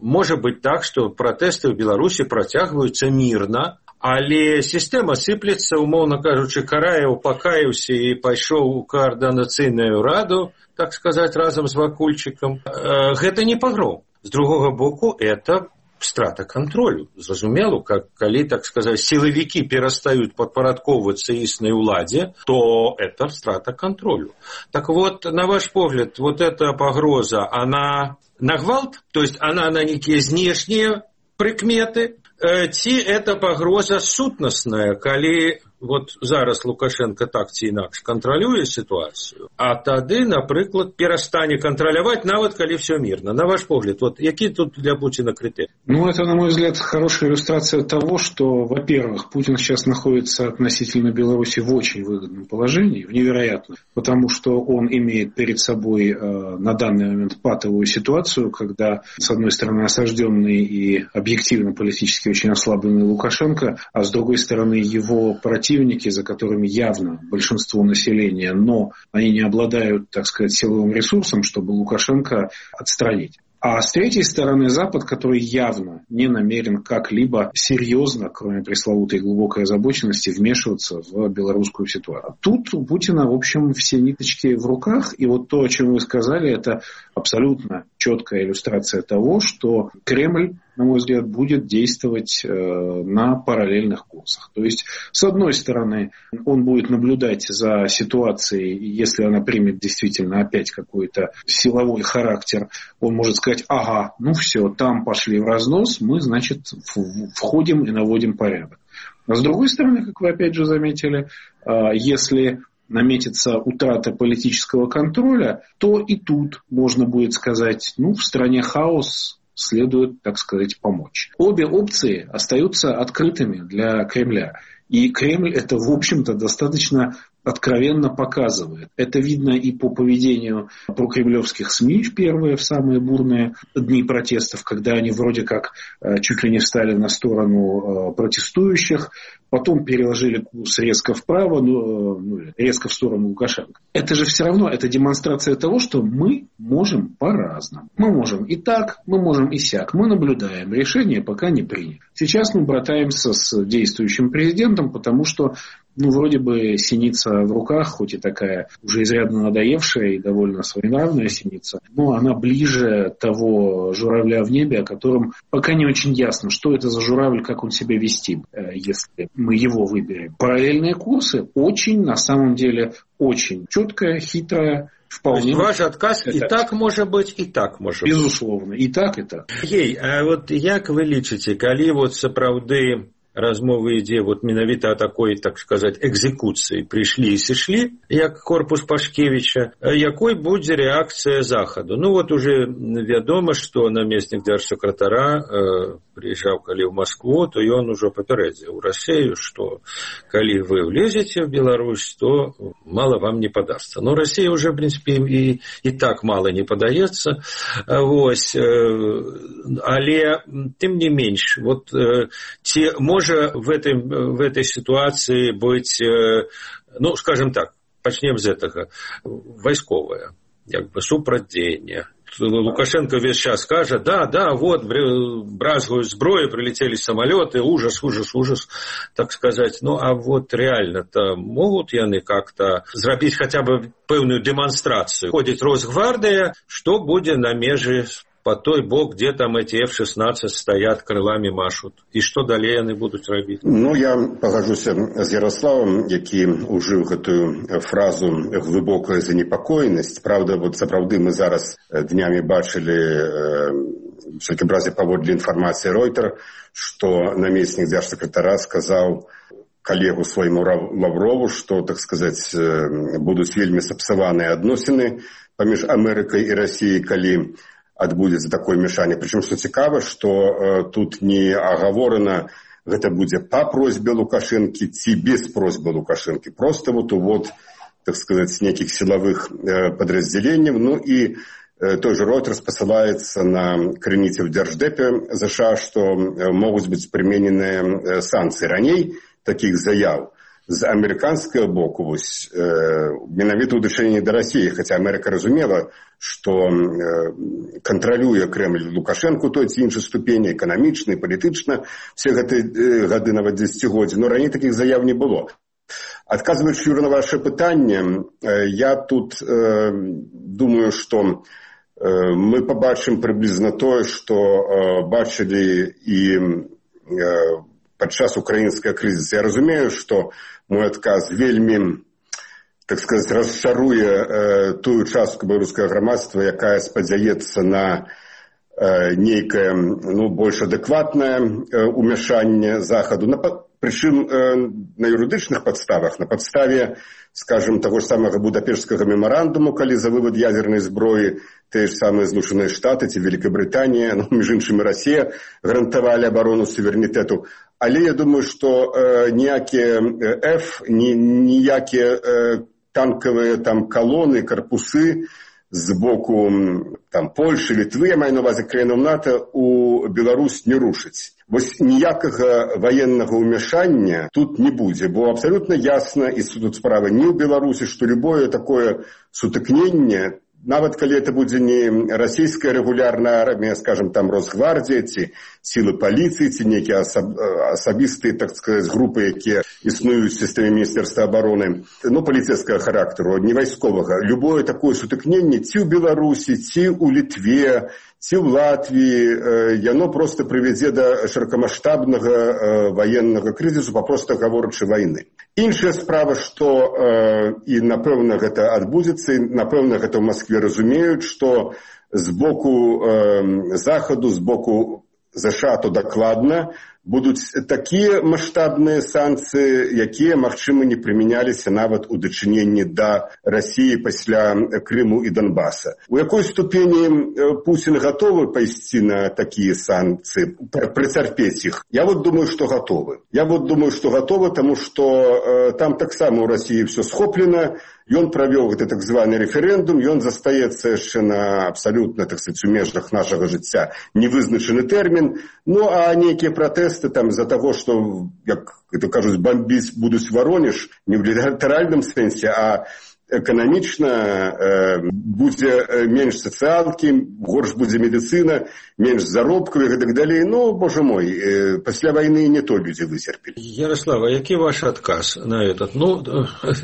можа быць так, што пратэсты ў Беларусі працягваюцца мірна, але сістэма сыплецца, умоўна кажучы, Караеў пакаяўся і пайшоў у координацыйную раду, так сказать, разом с Вакульчиком. Гэта не погром. С другого боку, это страта контролю. Зразумела, калі, так сказать, силовики перестают подпарадковываться існай уладе, то это страта контролю. Так вот, на ваш погляд, вот эта погроза, она на гвалт? То есть она на некие знешние прикметы? Ці это погроза сутнасная, калі вот зараз Лукашенко так ці інакш кантралюе ситуацию, а тады, напрыклад, перастане контролировать, нават калі все мирно. На ваш погляд, вот какие тут для Путина критерии? Ну, это, на мой взгляд, хорошая иллюстрация того, что, во-первых, Путин сейчас находится относительно Беларуси в очень выгодном положении, в невероятном, потому что он имеет перед собой на данный момент патовую ситуацию, когда, с одной стороны, осажденный и объективно политически очень ослабленный Лукашенко, а с другой стороны, его противники, за которыми явно большинство населения, но они не обладают, так сказать, силовым ресурсом, чтобы Лукашенко отстранить. А с третьей стороны Запад, который явно не намерен как-либо серьезно, кроме пресловутой глубокой озабоченности, вмешиваться в белорусскую ситуацию. Тут у Путина, в общем, все ниточки в руках. И вот то, о чем вы сказали, это абсолютно четкая иллюстрация того, что Кремль, на мой взгляд, будет действовать на параллельных курсах. То есть, с одной стороны, он будет наблюдать за ситуацией, если она примет действительно опять какой-то силовой характер, он может сказать, ага, ну все, там пошли в разнос, мы, значит, входим и наводим порядок. А с другой стороны, как вы опять же заметили, если наметится утрата политического контроля, то и тут можно будет сказать, в стране хаос, следует, так сказать, помочь. Обе опции остаются открытыми для Кремля. И Кремль это, в общем-то, достаточно откровенно показывает. Это видно и по поведению прокремлевских СМИ первые, в самые бурные дни протестов, когда они вроде как чуть ли не встали на сторону протестующих, потом переложили курс резко вправо, резко в сторону Лукашенко. Это же все равно, это демонстрация того, что мы можем по-разному. Мы можем и так, мы можем и сяк. Мы наблюдаем, решение пока не принято. Сейчас мы братаемся с действующим президентом, потому что вроде бы синица в руках, хоть и такая уже изрядно надоевшая и довольно своенравная синица, но она ближе того журавля в небе, о котором пока не очень ясно, что это за журавль, как он себя вести, если мы его выберем. Параллельные курсы очень, на самом деле, очень четкая, хитрая, вполне. Ваш отказ и так может быть, и так может быть. Безусловно, и так, и так. А вот як вы лічыце, калі сапраўды размовы ідзе менавіта о такой, так сказать, экзекуцыі прыйшлі і сышлі, як корпус Пашкевіча, якой будзе рэакцыя Захаду? Уже вядома, што намеснік дзяржсакратара прыязджаў калі ў Маскву, то ён ужо папярэдзіў Расею, што калі вы влезеце в Беларусь, то мало вам не падасца. Расія уже, в принципе, і так мало не падаецца. Але тым не менш, ці можа в этой ситуации быть, скажем так, начнем с этого, войсковое, супрадзеяние. Лукашенко весь час скажет, бразгают зброю, прилетели самолеты, ужас, так сказать. Реально-то могут яны как-то зрабіць хотя бы пэўную демонстрацию. Ходит Росгвардия, что будет на меже по той бок, где там эти F-16 стоят, крылами машут. И что далее они будут робить? Я пагажуся з Ярославом, які ужыў гэтую фразу глыбокая занепакоенасць. Правда, сапраўды мы зараз днямі бачылі, в всякім разе паводле інфармацыі Reuters, што намеснік дзяржсакратара сказаў коллегу своему Лаврову, что, так сказать, будут вельмі сапсаваныя адносіны паміж Амерыкай і Расіяй, калі адбудзецца такое мяшанне. Прычым, што цікава, што тут не агаворана, гэта будзе па просьбе Лукашэнкі ці без просьбы Лукашэнкі. Просто так сказать, с неких силовых подразделений. И той же Reuters посылается на крыніцы в Держдепе США, что могут быть применены санкции. Раней таких заяв з амерыканскага боку менавіта ў дачыненні да Расіі, хаця Амерыка разумела, што кантралюе Крэмль Лукашэнку той ці іншай ступені, эканамічна, палітычна, все гэтыя гады, нават дзесяцігоддзі, но раней такіх заяў не было. Адказваючы, Юра, на ваше пытанне, я тут думаю, што мы пабачым прыблізна тое, што бачылі і падчас украінскага крызіса. Я разумею, што мой адказ вельмі, так сказать, расчаруе тую частку беларускага грамадства, якая спадзяецца на нейкае, больш адэкватнае умяшанне Захаду. Прычым на юрыдычных падставах, на падставе, скажем, таго ж самага Будапешскага мемарандуму, калі за вывод ядернай зброі тыя ж самыя Злучаныя Штаты ці Великабрытанія, між іншым і Расія гарантавалі абарону суверэнітэту. Але я думаю, што ніякія ніякія танкавыя калоны, карпусы з боку Польши, Літвы, я маю на ўвазе краінаў НАТО, у Беларусь не рушыць. Ніякага военнага ўмяшання тут не будзе, бо абсолютно ясна, і тут справа не ў Беларусі, што любое такое сутыкненне, нават калі это будзе не расійская рэгулярная армія, скажем, Росгвардія ці сілы паліцыі, ці нейкія асабістыя, так сказаць, групы, якія існуюць у сістэме Міністэрства абароны, паліцэйскага характару, не вайсковага. Любое такое сутыкненне ці ў Беларусі, ці ў Літве, ці ў Латвіі, яно просто прывядзе да шырокамаштабнага ваеннага крызісу, папросту гаворачы, вайны. Іншая справа, што і напэўна гэта адбудзецца, і напэўна гэта ў Маскве разумеюць, што з боку Захаду, з боку ЗША то дакладна будуць такія маштабныя санкцыі, якія, магчыма, не прымяняліся нават у дачыненні да Расіі пасля Крыму і Донбаса. У якой ступені Путін гатовы пайсці на такія санкцыі, прыцярпець іх? Я думаю, што гатовы. Таму што там таксама ў Расіі все схоплена. Ён правёў гэты так званы рэферэндум, ён застаецца яшчэ на абсалютна, так сказаць, у межах нашага жыцця невызначаны тэрмін. Ну, а нейкія пратэсты там з-за таго, што, як это кажуць, бомбіць будуць Воронеж, не ў літаральным сэнсе, а эканамічна будзе менш сацыялкі, горш будзе медыцына, менш заробкаў і гэтак далей. Ну, боже мой, пасля вайны не то людзі выцерпелі. Ярослава, які ваш адказ на этот? Ну,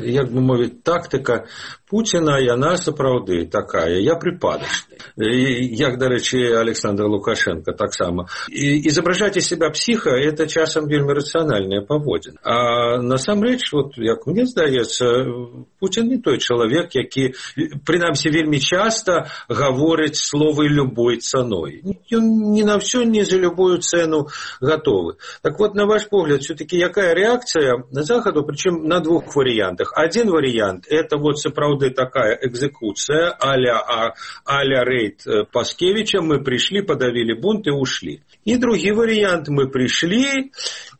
як бы мовіць, тактыка Путіна, яна сапраўды такая, я припадочный. Як, дарэчы, Александр Лукашенко таксама. Изображать из себя психа – это часам вельмі рацыянальная паводзіна. А насамрэч, вот, як мне здаецца, Путін не той чалавек, які, прынамсі, вельмі часта гаворыць словы любой цаной. Ён не на все, не за любую цену готовы. Так вот, на ваш погляд, все-таки какая реакция на Заходу, причем на двух вариантах. Один вариант – это вот сапраўды такая экзекуция а-ля рейд Паскевича. Мы пришли, подавили бунт и ушли. И другой вариант – мы пришли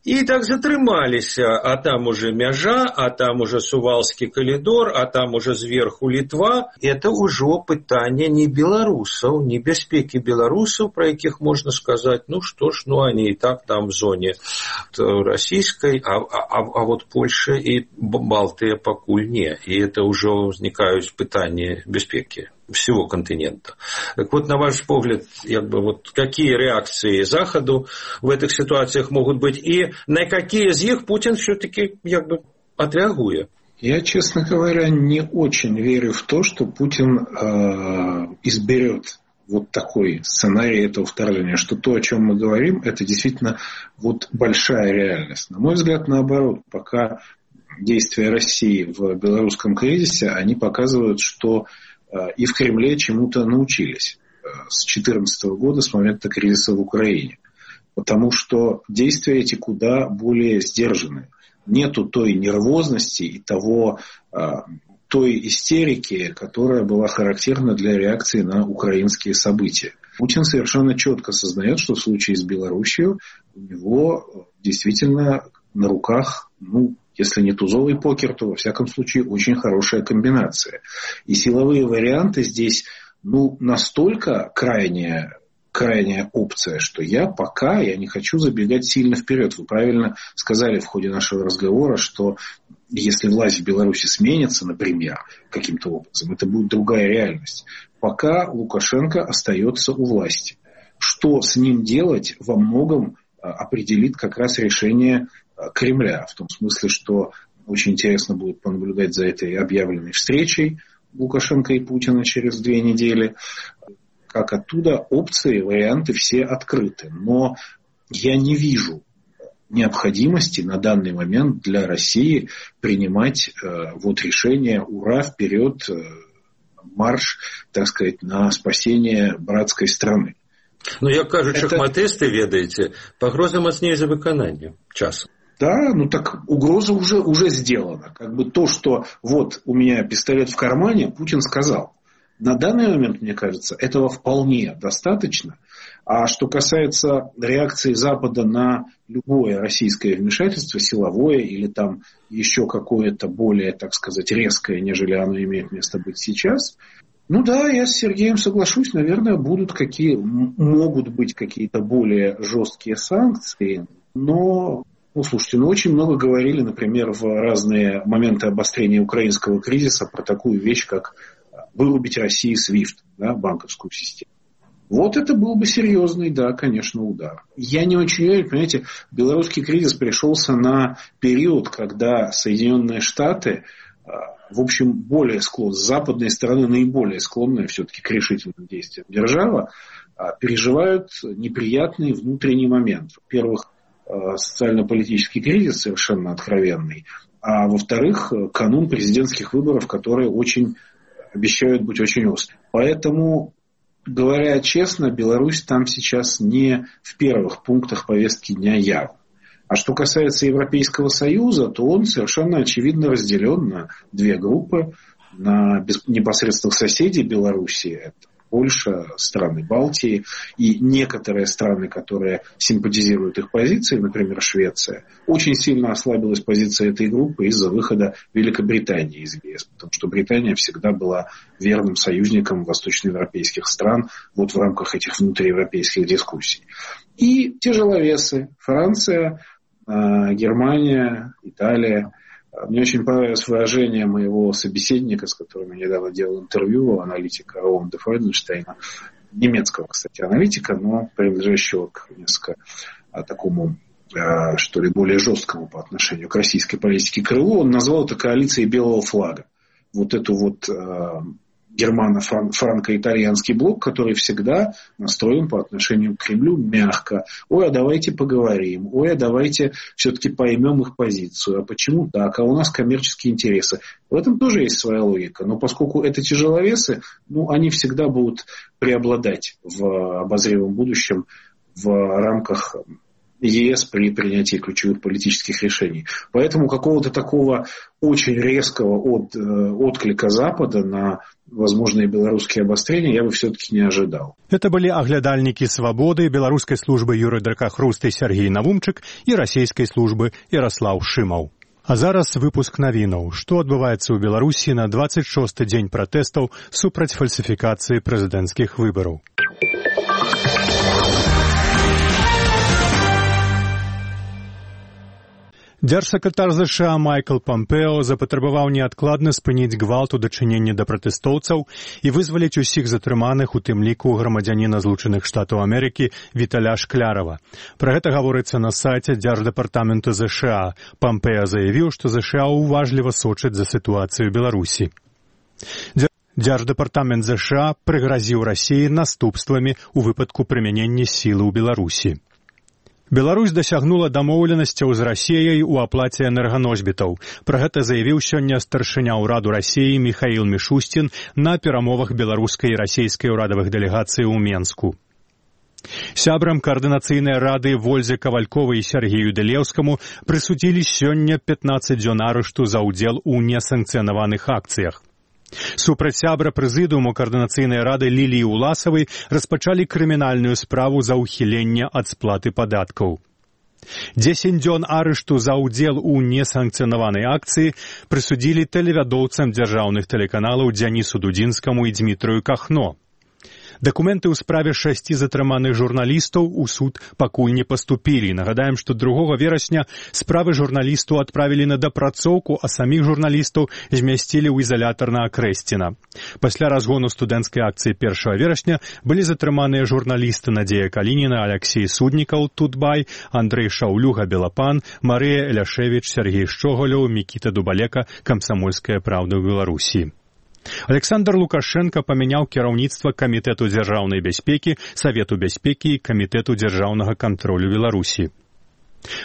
и так затрымались, а там уже мяжа, а там уже Сувалский коридор, а там уже зверху Литва. Это уже пытание не белорусов, не бяспеки белорусов, про якіх можно сказать, ну что ж, ну они и так там в зоне российской, а вот Польша и Балтия покуль не. И это уже возникают пытания бяспеки всего континента. Так вот, на ваш взгляд, вот какие реакции Заходу в этих ситуациях могут быть, и на какие из них Путин все-таки отреагует? Я, честно говоря, не очень верю в то, что Путин изберет вот такой сценарий этого вторжения, что то, о чем мы говорим, это действительно вот большая реальность. На мой взгляд, наоборот, пока действия России в белорусском кризисе, они показывают, что и в Кремле чему-то научились с 2014 года, с момента кризиса в Украине. Потому что действия эти куда более сдержаны. Нету той нервозности и той истерики, которая была характерна для реакции на украинские события. Путин совершенно четко осознает, что в случае с Белоруссией у него действительно на руках, если не тузовый покер, то, во всяком случае, очень хорошая комбинация. И силовые варианты здесь, настолько крайняя опция, что я не хочу забегать сильно вперед. Вы правильно сказали в ходе нашего разговора, что если власть в Беларуси сменится, например, каким-то образом, это будет другая реальность. Пока Лукашенко остается у власти. Что с ним делать, во многом определит как раз решение Кремля. В том смысле, что очень интересно будет понаблюдать за этой объявленной встречей Лукашенко и Путина через 2 недели. Как оттуда опции, варианты все открыты. Но я не вижу необходимости на данный момент для России принимать решение «Ура, вперед, марш», так сказать, на спасение братской страны. Як кажуть шахматисты, ведаете, погроза мощнее за выконание часом. Да, так угроза уже сделана. То, что вот у меня пистолет в кармане, Путин сказал. На данный момент, мне кажется, этого вполне достаточно. А что касается реакции Запада на любое российское вмешательство, силовое или там еще какое-то более, так сказать, резкое, нежели оно имеет место быть сейчас, я с Сергеем соглашусь, наверное, могут быть какие-то более жесткие санкции, но... Слушайте, очень много говорили, например, в разные моменты обострения украинского кризиса про такую вещь, как вырубить России SWIFT, банковскую систему. Вот это был бы серьезный, конечно, удар. Я не очень верю, понимаете, белорусский кризис пришелся на период, когда Соединенные Штаты, в общем, более склонны, с западной стороны наиболее склонная все-таки к решительным действиям держава, переживают неприятный внутренний момент. Во-первых, социально-политический кризис совершенно откровенный, а во-вторых, канун президентских выборов, которые обещают быть очень острыми. Поэтому говоря честно, Беларусь там сейчас не в первых пунктах повестки дня явно. А что касается Европейского Союза, то он совершенно очевидно разделен на две группы, на непосредственных соседей Беларуси, это Польша, страны Балтии и некоторые страны, которые симпатизируют их позиции, например, Швеция. Очень сильно ослабилась позиция этой группы из-за выхода Великобритании из ЕС, потому что Британия всегда была верным союзником восточноевропейских стран вот в рамках этих внутриевропейских дискуссий. И тяжеловесы – Франция, Германия, Италия. Мне очень понравилось выражение моего собеседника, с которым я недавно делал интервью, аналитика Оуэн де Фройденштейна, немецкого, кстати, аналитика, но принадлежащего к несколько такому, что ли, более жесткому по отношению к российской политике крылу. Он назвал это коалицией белого флага. Вот эту вот германо-франко-итальянский блок, который всегда настроен по отношению к Кремлю мягко. Ой, а давайте поговорим. Ой, а давайте все-таки поймем их позицию. А почему так? А у нас коммерческие интересы. В этом тоже есть своя логика. Но поскольку это тяжеловесы, они всегда будут преобладать в обозримом будущем в рамках ЕС при принятии ключевых политических решений. Поэтому какого-то такого очень резкого отклика Запада на возможные белорусские обострения я бы все-таки не ожидал. Это были оглядальники «Свободы», белорусской службы Юрий Дракахрусты Сергей Навумчык и российской службы Ярослав Шимаў. А зараз выпуск навінаў. Што адбываецца ў Беларусі на 26-й дзень пратэстаў супраць фальсіфікацыі прэзідэнцкіх выбараў. Дзяржсакратар США Майкл Помпео запатрабаваў неадкладна спыніць гвалт у дачыненні да пратэстоўцаў і вызваліць усіх затрыманых, у тым ліку грамадзяніна Злучаных Штатаў Амерыкі Віталя Шклярава. Пра гэта гаворыцца на сайце Дзярждэпартаменту ЗША. Помпео заявіў, што ЗША уважліва сочыць за сітуацыю Беларусі. Дзярждэпартамент ЗША прыгразіў Расіі наступствамі ў выпадку прымянення сілы ў Беларусі. Беларусь дасягнула дамоўленасцяў з Расіяй у аплаце энерганосьбітаў. Пра гэта заявіў сёння старшыня ўраду Расіі Михаил Мишустин на перамовах беларускай і расійскай урадавых дэлегацый у Менску. Сябрам каардынацыйнай рады Вользе Кавальковай і Сергею Дэлеўскаму прысудзілі сёння 15 дзён арышту за ўдзел у несанкцыянаваных акцыях. Супраць сябра прэзідыуму каардынацыйнай рады Ліліі Уласавай распачалі крымінальную справу за ўхіленне ад сплаты падаткаў. 10 дзён арышту за ўдзел у несанкцыянаванай акцыі прысудзілі тэлевядоўцам дзяржаўных тэлеканалаў Дзянісу Дудзінскаму і Дзмітрыю Кахно. Дакументы ў справе 6 затрыманых журналістаў у суд пакуль не паступілі. Нагадаем, што 2 верасня справы журналістаў адправілі на дапрацоўку, а саміх журналістаў змясцілі ў изолятар на Акрэсціна. Пасля разгону студэнцкай акцыі 1 верасня былі затрыманыя журналісты Надзея Калініна, Аляксей Суднікаў, Тутбай, Андрэй Шаўлюга, Белапан, Марыя Эляшевіч, Сергей Шчогалёў, Мікіта Дубалека, Камсамольская праўда ў Беларусі. Александр Лукашенко памяняў кіраўніцтва Камітэту дзяржаўнай бяспекі, Савету бяспекі і Камітэту дзяржаўнага кантролю Беларусі.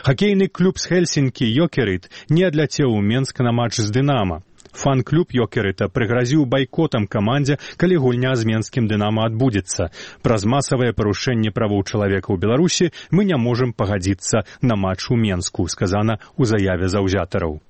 Хакейны клуб з Хельсінкі «Йокерит» не адляцеў у Менск на матч з «Дынама». Фан-клуб «Йокерыта» прыгразіў байкотам камандзе, калі гульня з менскім «Дынама» адбудзецца. Праз масавае парушэнне правоў чалавека ў Беларусі мы не можам пагадзіцца на матч у Менску, сказана ў заяве заўзятараў.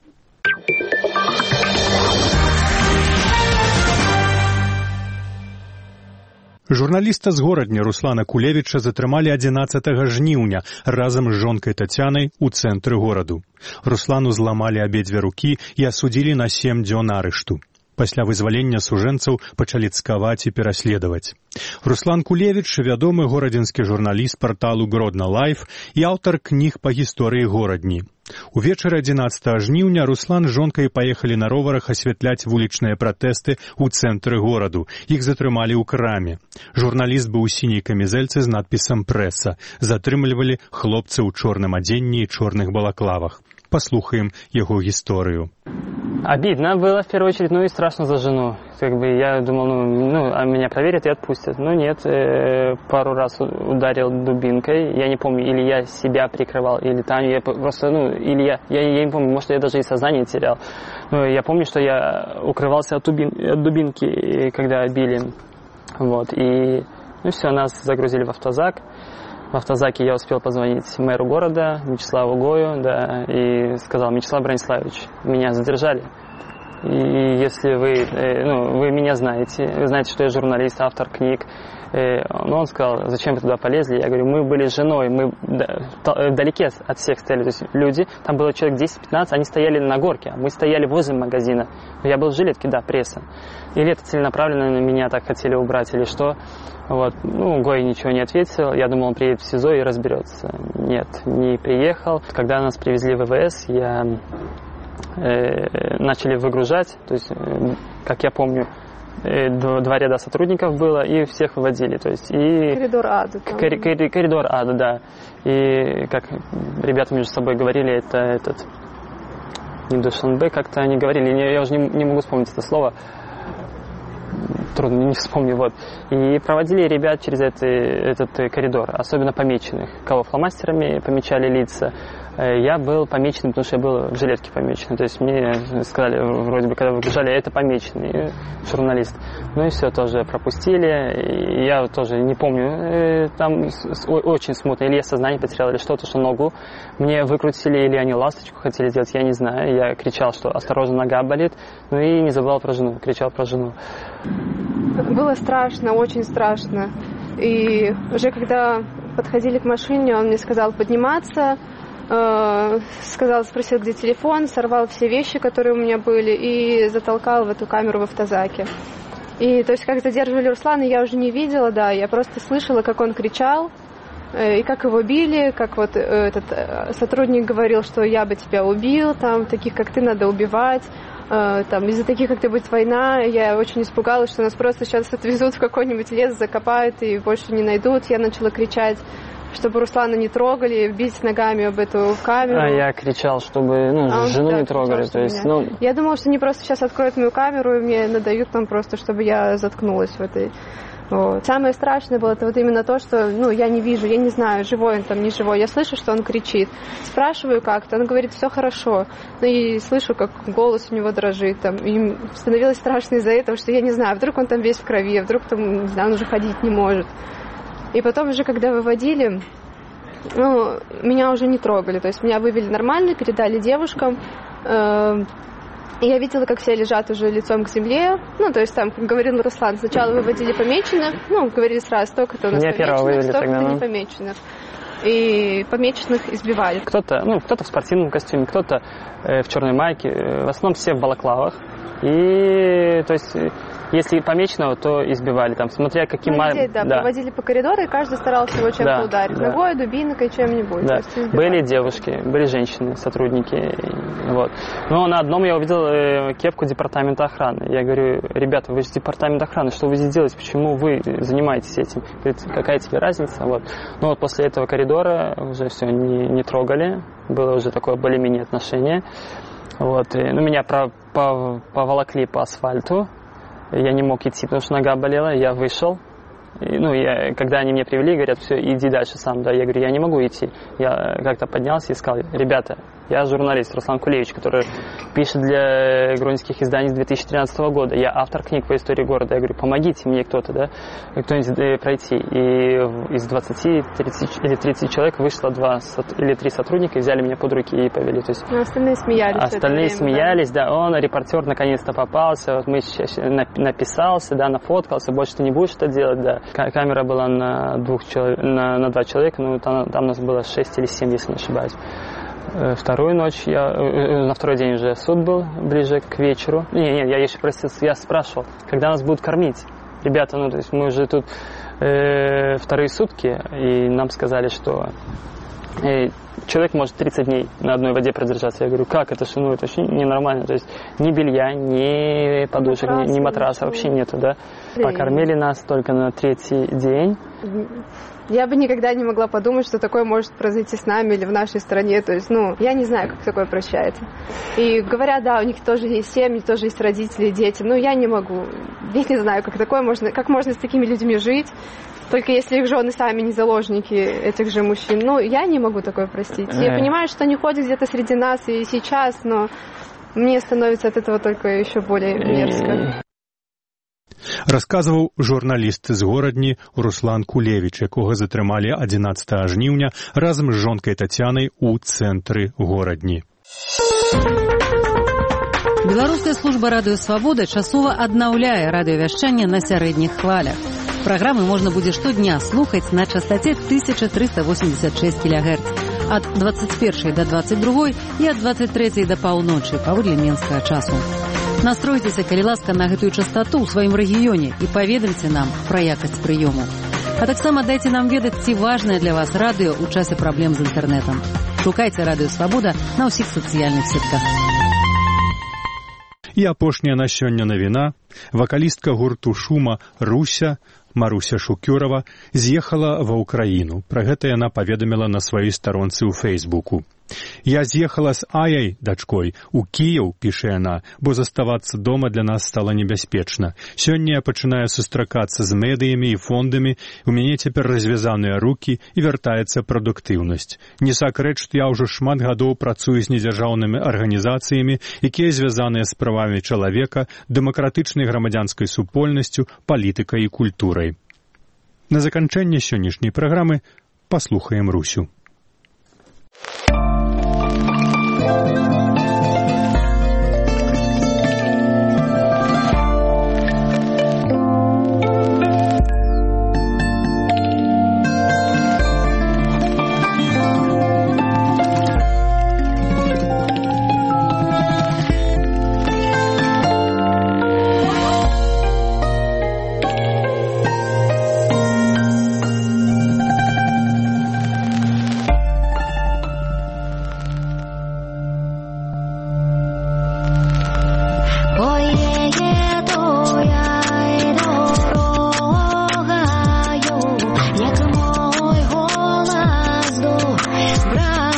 Журналіста з горадня Руслана Кулевіча затрымалі 11 жніўня разам з жонкай Тацянай у цэнтры гораду. Руслану зламалі абедзве рукі і асудзілі на 7 дзён арышту. Пасля вызвалення сужэнцаў пачалі цкаваць і пераследаваць. Руслан Кулевіч – вядомы горадзінскі журналіст парталу Гродна Лайф і аўтар кніг па гісторыі горадні. Увечары 11 жніўня Руслан з жонкай паехалі на роварах асвятляць вулічныя пратэсты ў цэнтры гораду. Іх затрымалі ў краме. Журналіст быў у сіняй камізэльцы з надпісам «Прэса». Затрымлівалі хлопцы ў чорным адзенні і чорных балаклавах. Послухаем его гісторыю. Обидно было в первую очередь, и страшно за жену. Я думал, а меня проверят и отпустят. Но нет, пару раз ударил дубинкой. Я не помню, или я себя прикрывал, или Таню. Я просто, или я не помню, может, я даже и сознание терял. Но я помню, что я укрывался от дубинки, когда били. Вот, и Ну все, нас загрузили в автозак. В автозаке я успел позвонить мэру города, Мячеславу Гою, да, и сказал: Мячеслав Брониславович, меня задержали. И если вы меня знаете, вы знаете, что я журналист, автор книг. Но он сказал: зачем вы туда полезли? Я говорю: мы были с женой, мы вдалеке от всех стояли, то есть люди, там было человек 10-15, они стояли на горке, а мы стояли возле магазина. Я был в жилетке, да, пресса. Или это целенаправленно на меня так хотели убрать, или что? Вот. Ну, Гой ничего не ответил, я думал, он приедет в СИЗО и разберется. Нет, не приехал. Когда нас привезли в ВВС, начали выгружать, то есть, как я помню, 2 ряда сотрудников было, и всех выводили. То есть, и коридор ада. Коридор ада, да. И как ребята между собой говорили, это этот не Душанбе, как-то они говорили, я уже не могу вспомнить это слово, трудно, не вспомню, вот. И проводили ребят через этот коридор, особенно помеченных, кого фломастерами помечали лица. Я был помеченным, потому что я был в жилетке помеченный. То есть мне сказали, вроде бы, когда выгружали, это помеченный журналист. Ну и все, тоже пропустили. И я тоже не помню, там очень смутно. Или я сознание потерял, или что-то, что ногу мне выкрутили, или они ласточку хотели сделать, я не знаю. Я кричал, что осторожно, нога болит. Ну и не забывал про жену, кричал про жену. Было страшно, очень страшно. И уже когда подходили к машине, он мне сказал подниматься. Спросил, где телефон, сорвал все вещи, которые у меня были, и затолкал в эту камеру в автозаке. И то есть, как задерживали Руслана, я уже не видела, да, я просто слышала, как он кричал, и как его били, как вот этот сотрудник говорил, что я бы тебя убил, там, таких, как ты, надо убивать, там, из-за таких, как ты, будет война. Я очень испугалась, что нас просто сейчас отвезут в какой-нибудь лес, закопают и больше не найдут. Я начала кричать, чтобы Руслана не трогали, бить ногами об эту камеру. А я кричал, чтобы жену не трогали. То есть, Я думала, что они просто сейчас откроют мою камеру и мне надают там просто, чтобы я заткнулась в этой. Вот. Самое страшное было это вот именно то, что я не вижу, я не знаю, живой он там, не живой. Я слышу, что он кричит. Спрашиваю как-то, он говорит, все хорошо. И слышу, как голос у него дрожит. Там. И становилось страшно из-за этого, что я не знаю, вдруг он там весь в крови, а вдруг там, не знаю, он уже ходить не может. И потом уже, когда выводили, меня уже не трогали. То есть меня вывели нормально, передали девушкам. И я видела, как все лежат уже лицом к земле. То есть там, как говорил Руслан, сначала выводили помеченных. Говорили сразу, столько-то у нас помеченных, столько-то не помеченных. И помеченных избивали. Кто-то в спортивном костюме, кто-то в черной майке. В основном все в балаклавах. И, то есть, если помеченного, то избивали, там, смотря каким... проводили по коридору, и каждый старался его чем-то ударить. Ногой, дубинкой, чем-нибудь. Да. Были девушки, были женщины, сотрудники. Вот. Но на одном я увидел кепку департамента охраны. Я говорю, ребята, вы же департамент охраны, что вы здесь делаете, почему вы занимаетесь этим? Говорит, какая тебе разница? Вот. Вот после этого коридора уже все не трогали, было уже такое более-менее отношение. Вот. Меня поволокли по асфальту. Я не мог идти, потому что нога болела. Я вышел. Когда они меня привели, говорят, все, иди дальше сам. Да, я говорю, я не могу идти. Я как-то поднялся и сказал, ребята, я журналист Руслан Кулевич, который пишет для грузинских изданий с 2013 года. Я автор книг по истории города. Я говорю, помогите мне кто-то, да, кто-нибудь пройти. И из 20 или 30 человек вышло 2 или 3 сотрудника, и взяли меня под руки и повели. То есть, остальные смеялись. Остальные смеялись, да. Репортер наконец-то попался. Вот мы сейчас написался, да, нафоткался, больше ты не будешь это делать, да. Камера была на 2 человека, там нас было 6 или 7, если не ошибаюсь. Вторую ночь, на второй день уже суд был, ближе к вечеру. Я еще я спрашивал, когда нас будут кормить. Ребята, то есть мы уже тут вторые сутки, и нам сказали, что человек может 30 дней на одной воде продержаться. Я говорю, как это? Это вообще ненормально. То есть ни белья, ни подушек, ни матраса вообще нету, да. Покормили нас только на 3-й день. Я бы никогда не могла подумать, что такое может произойти с нами или в нашей стране. То есть, я не знаю, как такое прощается. И говорят, да, у них тоже есть семьи, тоже есть родители, дети. Я не могу. Я не знаю, как можно с такими людьми жить. Только если их жены сами не заложники этих же мужчин. Я не могу такое простить. Я понимаю, что они ходят где-то среди нас и сейчас, но мне становится от этого только еще более мерзко. Расказваў журналіст з горадні Руслан Кулевіч, якога затрымалі 11 жніўня разам з жонкай Тацянай у цэнтры горадні. Беларуская служба радыё «Свабода» часова аднаўляе радыёвяшчанне на сярэдніх хвалях. Праграмы можна будзе штодня слухаць на частоце 1386 кГц ад 21 до 22 і ад 23 до паўночы паводле менскага часу. Настройцеся, калі ласка, на гэтую частоту ў сваім рэгіёне і паведамце нам пра якасць прыёму. А таксама дайце нам ведаць, ці важнае для вас радыё ў часе праблем з інтэрнэтам. Шукайце радыё «Свабода» на ўсіх сацыяльных сетках. І апошняя на сёння навіна. Вакалістка гурту «Шума» Руся Маруся Шукюрова з'ехала ва ўкраіну. Пра гэта яна паведаміла на сваёй старонцы ў Фейсбуку. «Я з'ехала з Аяй, дачкой, у Кіеў», піша яна, «бо заставацца дома для нас стала небяспечна. Сёння я пачынаю сустракацца з медыямі і фондамі, у мяне цяпер развязаныя рукі і вяртаецца прадуктыўнасць. Не сакрэт, што я ўжо шмат гадоў працую з недзяржаўнымі арганізацыямі, якія звязаныя з правамі чалавека, дэмакратычнай грамадзянскай супольнасцю, палітыкай і культурай». На заканчэнне сённяшняй праграмы паслухаем Русю. Брат